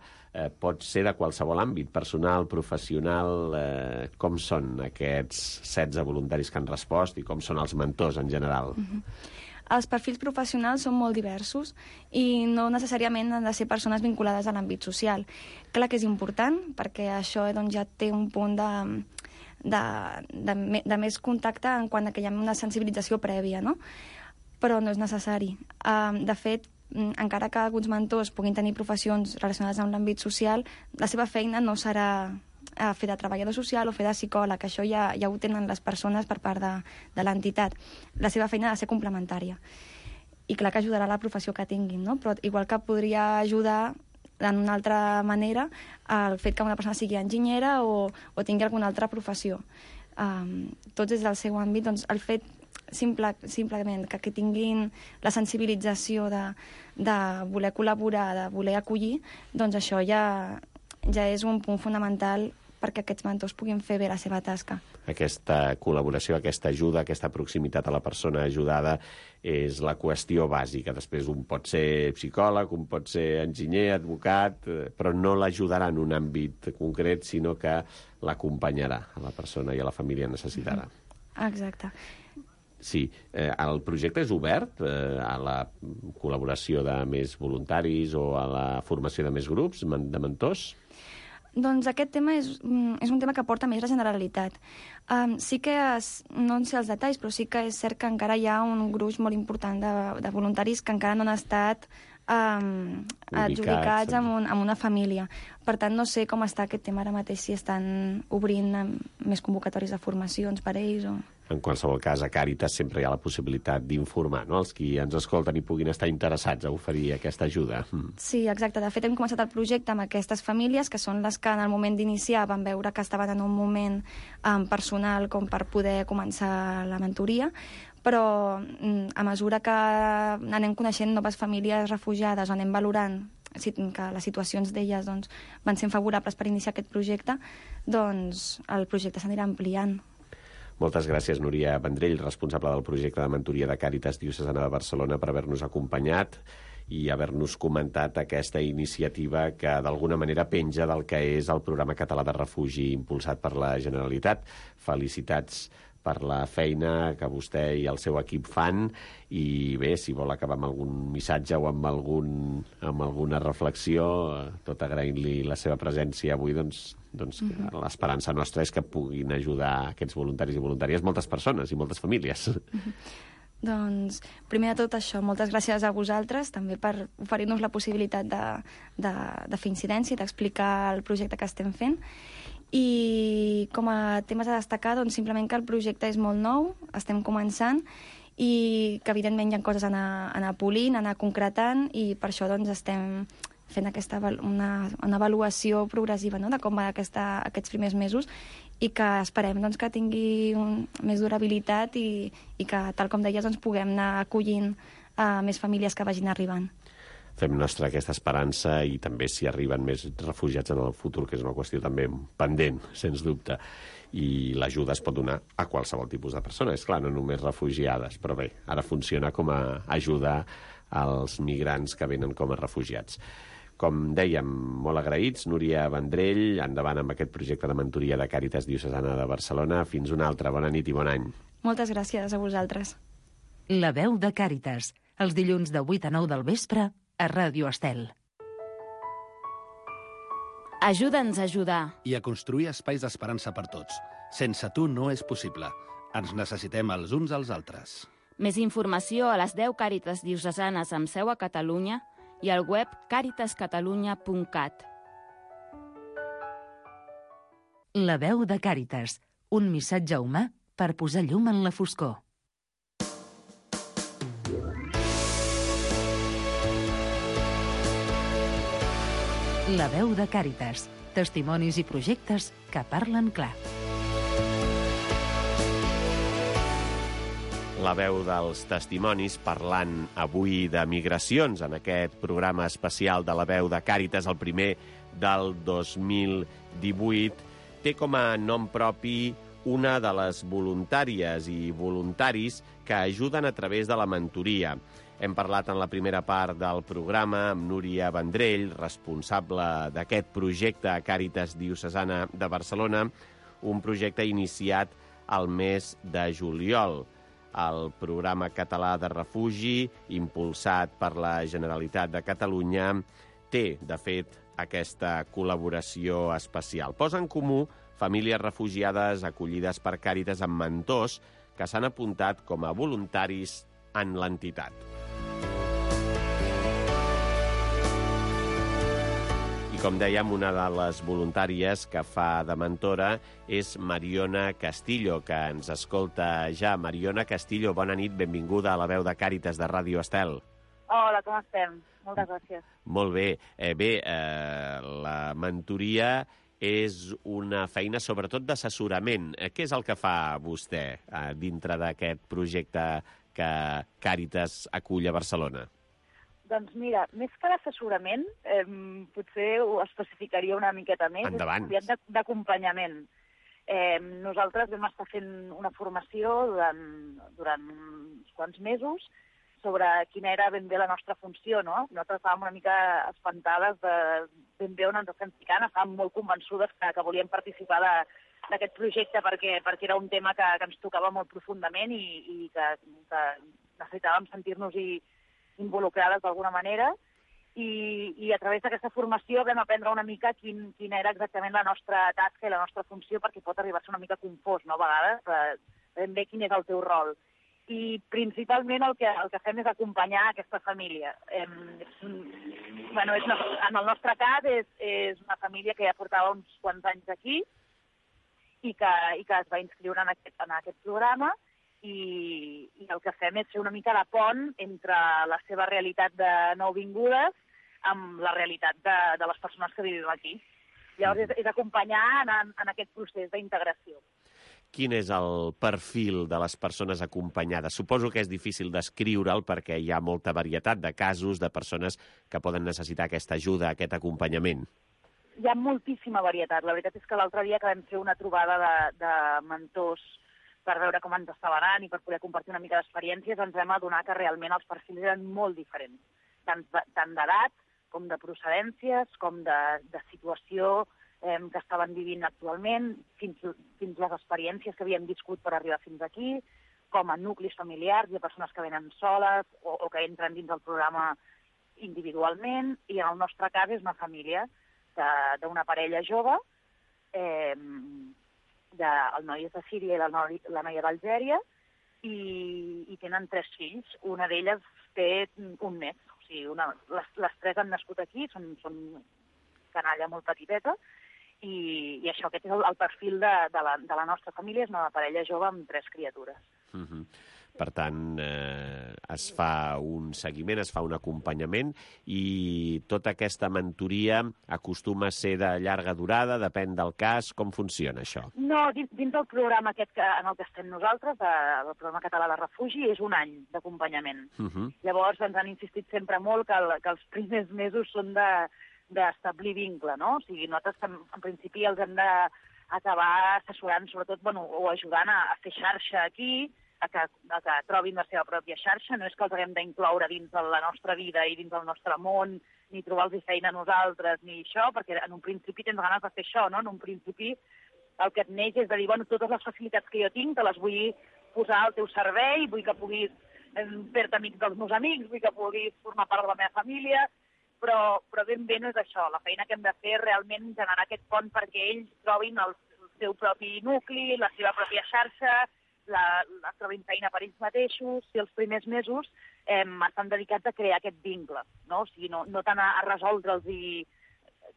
pot ser de qualsevol àmbit, personal, professional. Com són aquests 16 voluntaris que han respost i com són els mentors en general? Els perfils professionals són molt diversos i no necessàriament han de ser persones vinculades a l'àmbit social. Clar que és important, perquè això doncs, ja té un punt de més contacte en quant a que hi ha una sensibilització prèvia, no? Però no és necessari. De fet, encara que alguns mentors puguin tenir professions relacionades amb l'àmbit social, la seva feina no serà fer de treballador social o fer de psicòleg, això ja ho tenen les persones per part de l'entitat. La seva feina ha de ser complementària. I clar que ajudarà la professió que tinguin, no? Però igual que podria ajudar d'una altra manera el fet que una persona sigui enginyera o tingui alguna altra professió. Tots des del seu àmbit, doncs, el fet simplement que tinguin la sensibilització de voler col·laborar, de voler acollir, doncs això ja és un punt fonamental perquè aquests mentors puguin fer bé la seva tasca. Aquesta col·laboració, aquesta ajuda, aquesta proximitat a la persona ajudada és la qüestió bàsica. Després un pot ser psicòleg, un pot ser enginyer, advocat, però no l'ajudarà en un àmbit concret, sinó que l'acompanyarà a la persona i a la família necessitada. Exacte. Sí. El projecte és obert a la col·laboració de més voluntaris o a la formació de més grups, de mentors? Doncs aquest tema és un tema que porta més la Generalitat. Sí que, no en sé els detalls, però sí que és cert que encara hi ha un gruix molt important de voluntaris que encara no han estat adjudicats amb una família. Per tant, no sé com està aquest tema ara mateix, si estan obrint més convocatòries de formacions per ells o... En qualsevol cas, a Càritas sempre hi ha la possibilitat d'informar, no?, els qui ens escolten i puguin estar interessats a oferir aquesta ajuda. Sí, exacte. De fet, hem començat el projecte amb aquestes famílies, que són les que en el moment d'iniciar van veure que estaven en un moment personal com per poder començar la mentoria, però a mesura que anem coneixent noves famílies refugiades, anem valorant que les situacions d'elles van sent favorables per iniciar aquest projecte, doncs el projecte s'anirà ampliant. Moltes gràcies, Núria Vendrell, responsable del projecte de mentoria de Càritas Diocesana de Barcelona, per haver-nos acompanyat i haver-nos comentat aquesta iniciativa que d'alguna manera penja del que és el programa català de refugi impulsat per la Generalitat. Felicitats per la feina que vostè i el seu equip fan i bé, si vol acabar amb algun missatge o amb alguna reflexió, tot agraint-li la seva presència avui, doncs l'esperança nostra és que puguin ajudar aquests voluntaris i voluntàries moltes persones i moltes famílies. Doncs, primer de tot això, moltes gràcies a vosaltres també per oferir-nos la possibilitat de fer incidència i d'explicar el projecte que estem fent. I com a temes a destacar, doncs simplement que el projecte és molt nou, estem començant, i que evidentment hi ha coses a anar polint, a anar concretant, i per això doncs estem fent una avaluació progressiva, no?, de com va aquests primers mesos, i que esperem doncs, que tingui més durabilitat i que, tal com deies, doncs, puguem anar acollint més famílies que vagin arribant. Fem nostra aquesta esperança i també si arriben més refugiats en el futur, que és una qüestió també pendent, sens dubte. I l'ajuda es pot donar a qualsevol tipus de persona. És clar, no només refugiades, però bé, ara funciona com a ajuda als migrants que venen com a refugiats. Com dèiem, molt agraïts, Núria Vendrell, endavant amb aquest projecte de mentoria de Càritas Diocesana de Barcelona. Fins una altra. Bona nit i bon any. Moltes gràcies a vosaltres. La veu de Càritas, els dilluns de 8 a 9 del vespre, a Ràdio Estel. Ajuda'ns a ajudar. I a construir espais d'esperança per tots. Sense tu no és possible. Ens necessitem els uns als altres. Més informació a les 10 Càritas diocesanes amb seu a Catalunya i al web caritascatalunya.cat. La veu de Càritas, un missatge humà per posar llum en la foscor. La veu de Càritas, testimonis i projectes que parlen clar. La veu dels testimonis parlant avui de migracions en aquest programa especial de la veu de Càritas, el primer del 2018, té com a nom propi una de les voluntàries i voluntaris que ajuden a través de la mentoria. Hem parlat en la primera part del programa amb Núria Vendrell, responsable d'aquest projecte a Càritas Diocesana de Barcelona, un projecte iniciat al mes de juliol. El programa català de refugi, impulsat per la Generalitat de Catalunya, té, de fet, aquesta col·laboració especial. Posa en comú famílies refugiades acollides per Càritas amb mentors que s'han apuntat com a voluntaris en l'entitat. Com dèiem, una de les voluntàries que fa de mentora és Mariona Castillo, que ens escolta ja. Mariona Castillo, bona nit, benvinguda a la veu de Càritas de Ràdio Estel. Hola, com estem? Moltes gràcies. Molt bé. La mentoria és una feina sobretot d'assessorament. Què és el que fa vostè dintre d'aquest projecte que Càritas acull a Barcelona? Doncs mira, més que l'assessorament, potser ho especificaria una miqueta més. Endavant. És d'acompanyament. Nosaltres vam estar fent una formació durant uns quants mesos sobre quina era ben bé la nostra funció, no? Nosaltres estàvem una mica espantades de ben bé on ens estem ficant, estàvem molt convençudes que volíem participar d'aquest projecte perquè era un tema que ens tocava molt profundament i que necessitàvem sentir-nos-hi involucrades d'alguna manera. I a través d'aquesta formació vam aprendre una mica quina era exactament la nostra tasca i la nostra funció, perquè pot arribar a ser una mica confós, no?, a vegades, ben bé quin és el teu rol. I principalment el que fem és acompanyar aquesta família. En el nostre cas és una família que ja portava uns quants anys aquí i que es va inscriure en aquest programa, i el que fem és fer una mica de pont entre la seva realitat de nouvingudes amb la realitat de les persones que vivim aquí. Llavors és acompanyar en aquest procés d'integració. Quin és el perfil de les persones acompanyades? Suposo que és difícil descriure'l perquè hi ha molta varietat de casos de persones que poden necessitar aquesta ajuda, aquest acompanyament. Hi ha moltíssima varietat. La veritat és que l'altre dia que vam fer una trobada de mentors per veure com ens estava anant i per poder compartir una mica d'experiències, ens vam adonar que realment els perfils eren molt diferents, tant d'edat com de procedències, com de situació que estaven vivint actualment, fins les experiències que havíem viscut per arribar fins aquí, com a nuclis familiars, hi ha persones que venen soles o que entren dins del programa individualment, i en el nostre cas és una família d'una parella jove, el noi és de Síria i la noia d'Algèria, i tenen 3 fills. Una d'elles té un mes. O sigui, les 3 han nascut aquí, són canalla molt petiteta, i això, aquest és el perfil de la nostra família, és una parella jove amb 3 criatures. Per tant, es fa un seguiment, es fa un acompanyament, i tota aquesta mentoria acostuma a ser de llarga durada, depèn del cas. Com funciona això? No, dins del programa aquest en el que estem nosaltres, el programa català de refugi, és un any d'acompanyament. Llavors ens han insistit sempre molt que els primers mesos són d'establir vincle, no? O sigui, nosaltres en principi els hem d'acabar assessorant, sobretot, o ajudant a fer xarxa aquí, a que trobin la seva pròpia xarxa. No és que els haguem d'incloure dins de la nostra vida i dins del nostre món, ni trobar-los feina a nosaltres, ni això, perquè en un principi tens ganes de fer això, no? En un principi el que et neix és de dir, totes les facilitats que jo tinc te les vull posar al teu servei, vull que puguis fer-te amics dels meus amics, vull que puguis formar part de la meva família, però ben bé no és això. La feina que hem de fer és realment generar aquest pont perquè ells trobin el seu propi nucli, la seva pròpia xarxa, la trobin feina per ells mateixos, i els primers mesos estan dedicats a crear aquest vincle, no? O sigui, no tant a resoldre'ls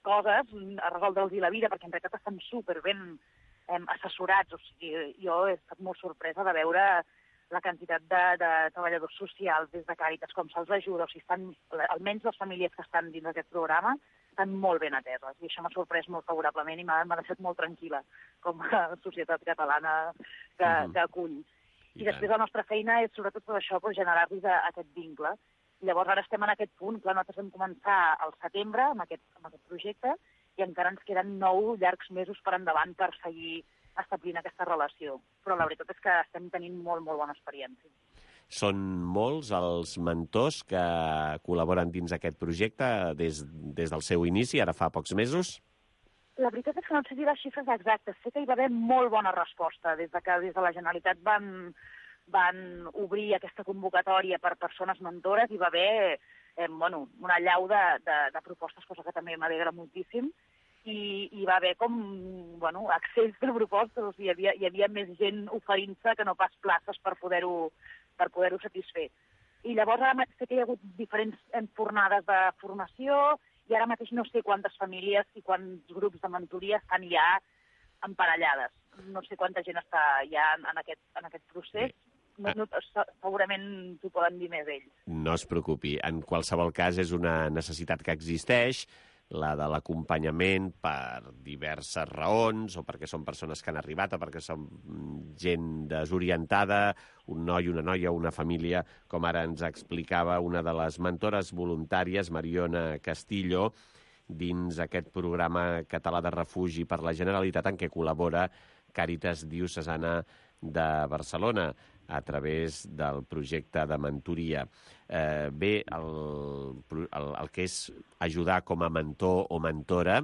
coses, a resoldre'ls la vida, perquè en realitat estan superben assessorats. O sigui, jo he estat molt sorpresa de veure la quantitat de treballadors socials des de Càritas, com se'ls ajuda. O sigui, almenys les famílies que estan dins d'aquest programa estan molt ben ateses, i això m'ha sorprès molt favorablement i m'ha deixat molt tranquil·la com a societat catalana que acull. I després la nostra feina és sobretot tot això, generar-los aquest vincle. Llavors ara estem en aquest punt. Clar, nosaltres vam començar al setembre amb aquest projecte i encara ens queden 9 llargs mesos per endavant per seguir establint aquesta relació. Però la veritat és que estem tenint molt, molt bona experiència. Són molts els mentors que col·laboren dins aquest projecte des del seu inici, ara fa pocs mesos? La veritat és que no sé dir les xifres exactes. Sé que hi va haver molt bona resposta des de la Generalitat van obrir aquesta convocatòria per persones mentores, i va haver una allau de propostes, cosa que també m'alegra moltíssim, i va haver accés de propostes. O sigui, hi havia més gent oferint-se que no pas places per poder-ho satisfer. I llavors ara sé que hi ha hagut diferents fornades de formació, i ara mateix no sé quantes famílies i quants grups de mentoria estan ja emparellades. No sé quanta gent està ja en aquest procés. Segurament t'ho poden dir més ells. No es preocupi. En qualsevol cas és una necessitat que existeix. la de l'acompanyament per diverses raons, o perquè són persones que han arribat, o perquè són gent desorientada, un noi, una noia, una família, com ara ens explicava una de les mentores voluntàries, Mariona Castillo, dins aquest programa català de refugi per la Generalitat en què col·labora Càritas Diocesana de Barcelona a través del projecte de mentoria. Bé, el que és ajudar com a mentor o mentora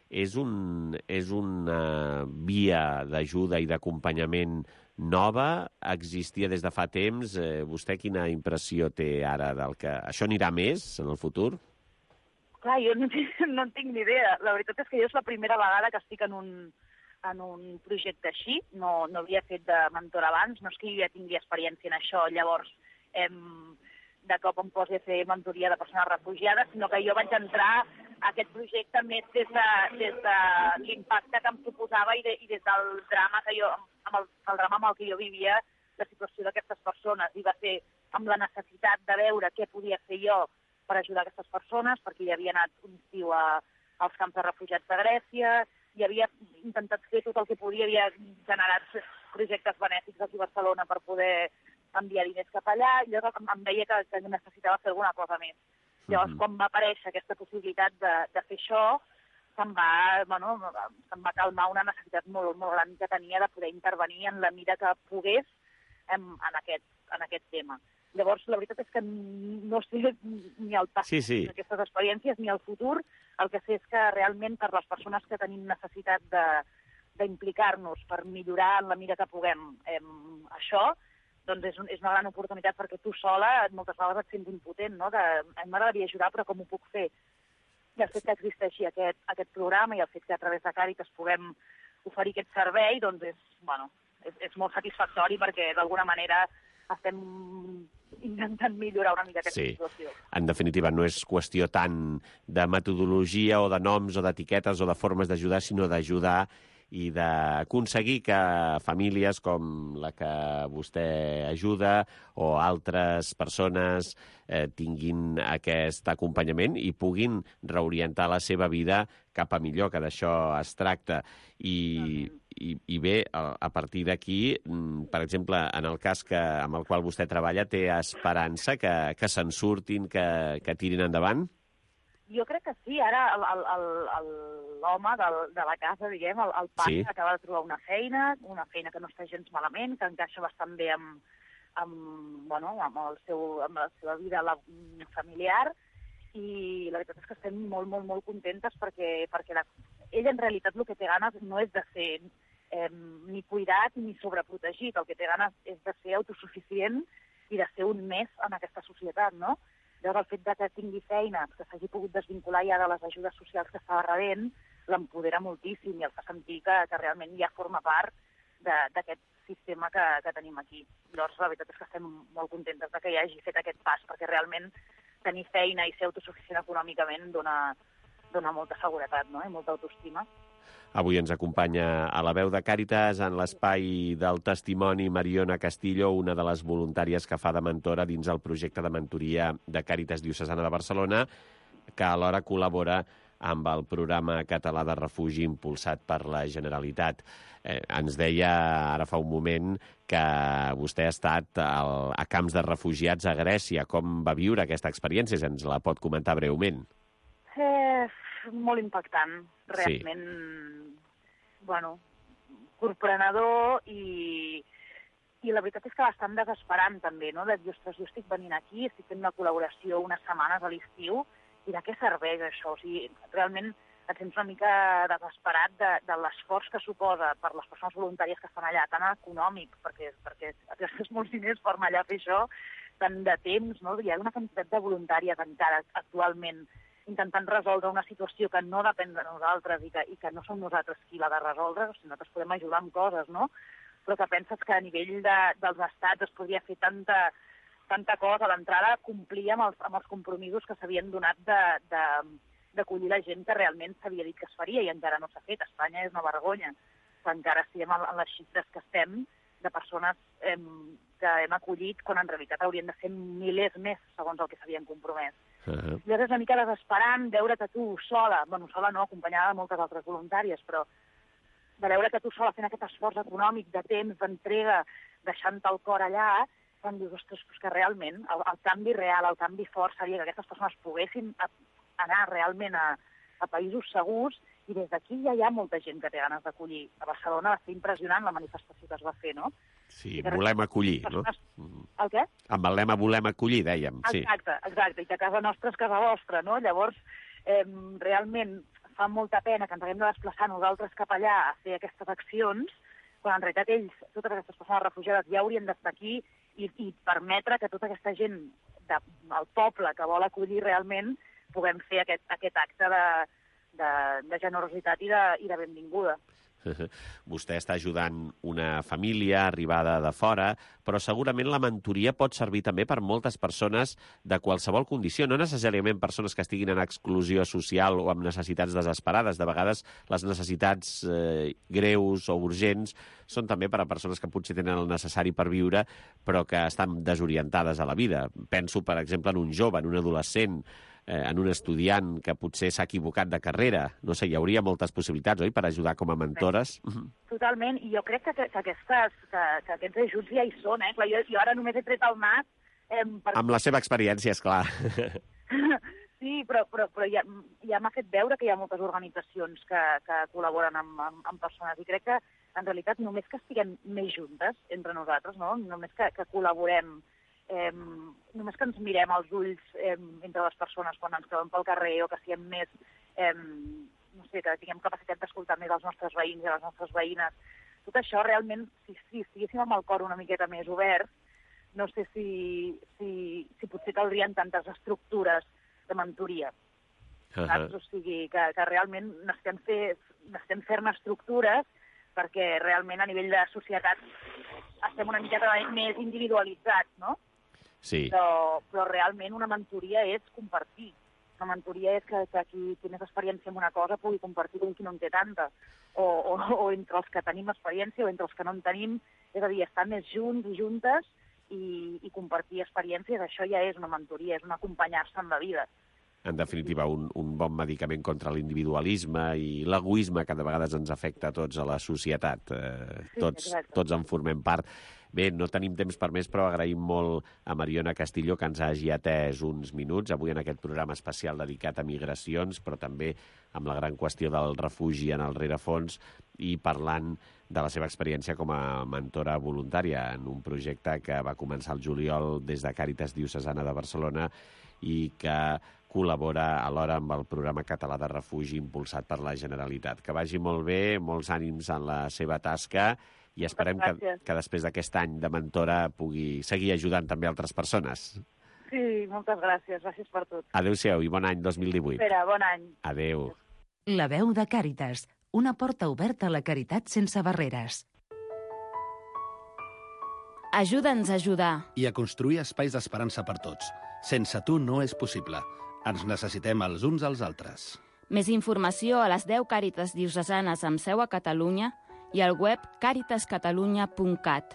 és una via d'ajuda i d'acompanyament nova, existia des de fa temps. Vostè quina impressió té ara del que... Això anirà més en el futur? Clar, jo no en tinc ni idea. La veritat és que jo és la primera vegada que estic en un projecte així. No havia fet de mentor abans, no és que jo ja tingui experiència en això, llavors de cop em posi a fer mentoria de persones refugiades, sinó que jo vaig entrar a aquest projecte més des de l'impacte que em suposava i des del drama que jo, el drama amb el que jo vivia, la situació d'aquestes persones, i va ser amb la necessitat de veure què podia fer jo per ajudar aquestes persones, perquè hi havia anat un estiu als camps de refugiats de Grècia, i havia intentat fer tot el que podia, havia generat projectes benèfics aquí a Barcelona per poder enviar diners cap allà, i llavors em deia que necessitava fer alguna cosa més. Llavors, quan va aparèixer aquesta possibilitat de fer això, se'm va calmar una necessitat molt, molt gran que tenia de poder intervenir en la mida que pogués en aquest tema. Llavors, la veritat és que no sé ni el passat d'aquestes experiències ni el futur. El que sé és que realment per les persones que tenim necessitat d'implicar-nos per millorar en la mida que puguem això, doncs és una gran oportunitat, perquè tu sola moltes vegades et sents impotent, no? M'agradaria ajudar, però com ho puc fer? I el fet que existeixi aquest programa i el fet que a través de Càritas puguem oferir aquest servei, doncs és molt satisfactori, perquè d'alguna manera estem intentant millorar una mica aquesta situació. En definitiva, no és qüestió tant de metodologia o de noms o d'etiquetes o de formes d'ajudar, sinó d'ajudar i d'aconseguir que famílies com la que vostè ajuda o altres persones tinguin aquest acompanyament i puguin reorientar la seva vida cap a millor, que d'això es tracta. I bé, a partir d'aquí, per exemple, en el cas amb el qual vostè treballa, té esperança que se'n surtin, que tirin endavant? Jo crec que sí. Ara l'home de la casa, diguem, el pare, acaba de trobar una feina que no està gens malament, que encaixa bastant bé amb la seva vida familiar, i la veritat és que estem molt, molt, molt contentes perquè ell en realitat el que té ganes no és de ser ni cuidat ni sobreprotegit, el que té ganes és de ser autosuficient i de ser un més en aquesta societat, no? Llavors, el fet que tingui feina, que s'hagi pogut desvincular ja de les ajudes socials que estava rebent, l'empodera moltíssim i el fa sentir que realment ja forma part d'aquest sistema que tenim aquí. Llavors, la veritat és que estem molt contentes que hi hagi fet aquest pas, perquè realment tenir feina i ser autosuficient econòmicament dona molta seguretat, no? I molta autoestima. Avui ens acompanya a la veu de Càritas en l'espai del testimoni Mariona Castillo, una de les voluntàries que fa de mentora dins el projecte de mentoria de Càritas Diocesana de Barcelona, que alhora col·labora amb el programa català de refugi impulsat per la Generalitat. Ens deia ara fa un moment que vostè ha estat a camps de refugiats a Grècia. Com va viure aquesta experiència? Ens la pot comentar breument. Molt impactant, realment, corprenedor, i la veritat és que bastant desesperant també, no? De dir, ostres, jo estic venint aquí, estic fent una col·laboració unes setmanes a l'estiu, i de què serveix això? O sigui, realment et sents una mica desesperat de l'esforç que suposa per les persones voluntàries que estan allà, tan econòmic, perquè et gastes molts diners per anar allà a fer això, tant de temps, no? Hi ha una quantitat de voluntàries encara actualment intentant resoldre una situació que no depèn de nosaltres i que no som nosaltres qui l'ha de resoldre, o sigui, nosaltres podem ajudar amb coses, no? Però que penses que a nivell dels estats es podria fer tanta cosa a l'entrada, complir amb els compromisos que s'havien donat d'acollir la gent que realment s'havia dit que es faria i encara no s'ha fet. Espanya és una vergonya, que encara estiguem en les xifres que estem de persones que hem acollit, quan en realitat haurien de ser milers més, segons el que s'havien compromès. Llavors és una mica desesperant veure que tu sola, sola no, acompanyada de moltes altres voluntàries, però de veure que tu sola fent aquest esforç econòmic, de temps, d'entrega, deixant-te el cor allà, quan dius, ostres, que realment el canvi real, el canvi fort seria que aquestes persones poguessin anar realment a països segurs, i des d'aquí ja hi ha molta gent que té ganes d'acollir. A Barcelona va ser impressionant la manifestació que es va fer, no? Sí, volem acollir, no? El què? Amb el lema volem acollir, dèiem. Exacte, i que casa nostra és casa vostra, no? Llavors, realment fa molta pena que ens haguem de desplaçar nosaltres cap allà a fer aquestes accions, quan en realitat ells, totes aquestes persones refugiades, ja haurien d'estar aquí i permetre que tota aquesta gent del poble que vol acollir realment puguem fer aquest acte de generositat i de benvinguda. Vostè està ajudant una família arribada de fora, però segurament la mentoria pot servir també per moltes persones de qualsevol condició, no necessàriament persones que estiguin en exclusió social o amb necessitats desesperades. De vegades les necessitats greus o urgents són també per a persones que potser tenen el necessari per viure, però que estan desorientades a la vida. Penso, per exemple, en un jove, en un adolescent, en un estudiant que potser s'ha equivocat de carrera. No sé, hi hauria moltes possibilitats, oi?, per ajudar com a mentores. Totalment, i jo crec que aquests ajuts ja hi són, eh? Clar, jo ara només he tret el nas... Amb la seva experiència, esclar. Sí, però ja m'ha fet veure que hi ha moltes organitzacions que col·laboren amb persones, i crec que, en realitat, només que estiguem més juntes entre nosaltres, no? Només que col·laborem, només que ens mirem als ulls entre les persones quan ens trobem pel carrer, o que siguem més, no sé, que tinguem capacitat d'escoltar més els nostres veïns i les nostres veïnes. Tot això realment, si estiguéssim amb el cor una miqueta més obert, no sé si potser caldrien tantes estructures de mentoria. Saps? O sigui, que realment necessitem fer-ne estructures perquè realment a nivell de societat estem una miqueta més individualitzats, no? Sí. Però realment una mentoria és compartir. Una mentoria és que qui té més experiència en una cosa pugui compartir amb qui no en té tanta. O entre els que tenim experiència o entre els que no en tenim. És a dir, estar més junts i juntes i compartir experiències, això ja és una mentoria, és un acompanyar-se en la vida. En definitiva, un bon medicament contra l'individualisme i l'egoisme que de vegades ens afecta a tots a la societat. Tots en formem part. Bé, no tenim temps per més, però agraïm molt a Mariona Castillo que ens hagi atès uns minuts avui en aquest programa especial dedicat a migracions, però també amb la gran qüestió del refugi en el rerefons i parlant de la seva experiència com a mentora voluntària en un projecte que va començar el juliol des de Càritas Diocesana de Barcelona i que col·labora alhora amb el programa català de refugi impulsat per la Generalitat. Que vagi molt bé, molts ànims en la seva tasca i esperem que després d'aquest any de mentora pugui seguir ajudant també altres persones. Sí, moltes gràcies. Gràcies per tot. Adéu-siau i bon any 2018. Espera, bon any. Adéu. La veu de Càritas, una porta oberta a la caritat sense barreres. Ajuda'ns a ajudar. I a construir espais d'esperança per tots. Sense tu no és possible. Ens necessitem els uns als altres. Més informació a les 10 Càritas diocesanes amb seu a Catalunya i al web caritascatalunya.cat.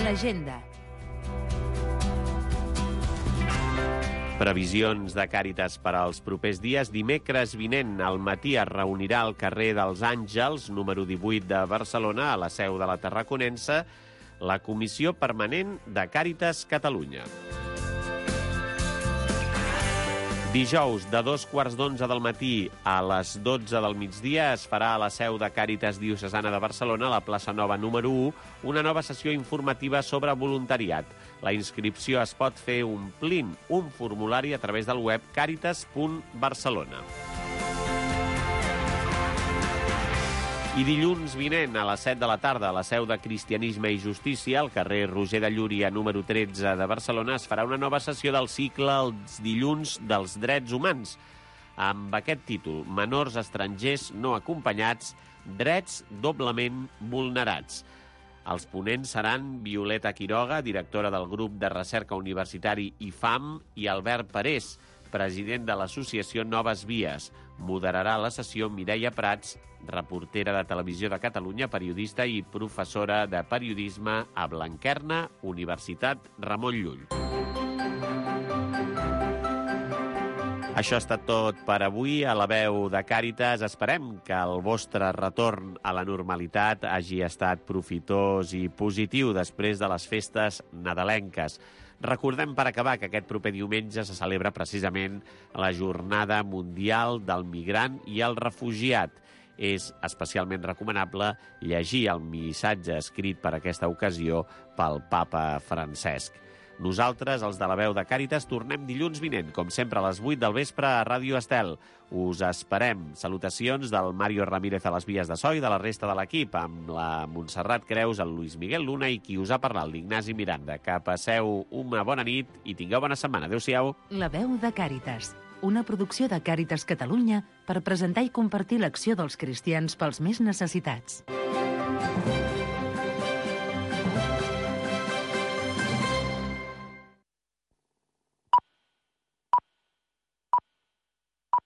L'agenda. Previsions de Càritas per als propers dies. Dimecres vinent al matí es reunirà al carrer dels Àngels, número 18 de Barcelona, a la seu de la Tarraconense, la Comissió Permanent de Càritas Catalunya. Dijous, de 2:15 del matí a les 12 del migdia, es farà a la seu de Càritas Diocesana de Barcelona, a la plaça Nova número 1, una nova sessió informativa sobre voluntariat. La inscripció es pot fer omplint un formulari a través del web caritas.barcelona. I dilluns vinent, a les 7 de la tarda, a la seu de Cristianisme i Justícia, al carrer Roger de Llúria, número 13 de Barcelona, es farà una nova sessió del cicle Els dilluns dels drets humans, amb aquest títol: Menors estrangers no acompanyats, drets doblement vulnerats. Els ponents seran Violeta Quiroga, directora del grup de recerca universitari IFAM, i Albert Parés, president de l'associació Noves Vies. Moderarà la sessió Mireia Prats, reportera de Televisió de Catalunya, periodista i professora de periodisme a Blanquerna, Universitat Ramon Llull. Això ha estat tot per avui a la veu de Càritas. Esperem que el vostre retorn a la normalitat hagi estat profitós i positiu després de les festes nadalenques. Recordem, per acabar, que aquest proper diumenge se celebra precisament la Jornada Mundial del Migrant i el Refugiat. És especialment recomanable llegir el missatge escrit per aquesta ocasió pel papa Francesc. Nosaltres, els de la veu de Càritas, tornem dilluns vinent, com sempre a les 8 del vespre a Ràdio Estel. Us esperem. Salutacions del Mario Ramírez a les vies de so i de la resta de l'equip, amb la Montserrat Creus, el Luis Miguel Luna i qui us ha parlat, l'Ignasi Miranda. Que passeu una bona nit i tingueu bona setmana. Adéu-siau. La veu de Càritas, una producció de Càritas Catalunya per presentar i compartir l'acció dels cristians pels més necessitats.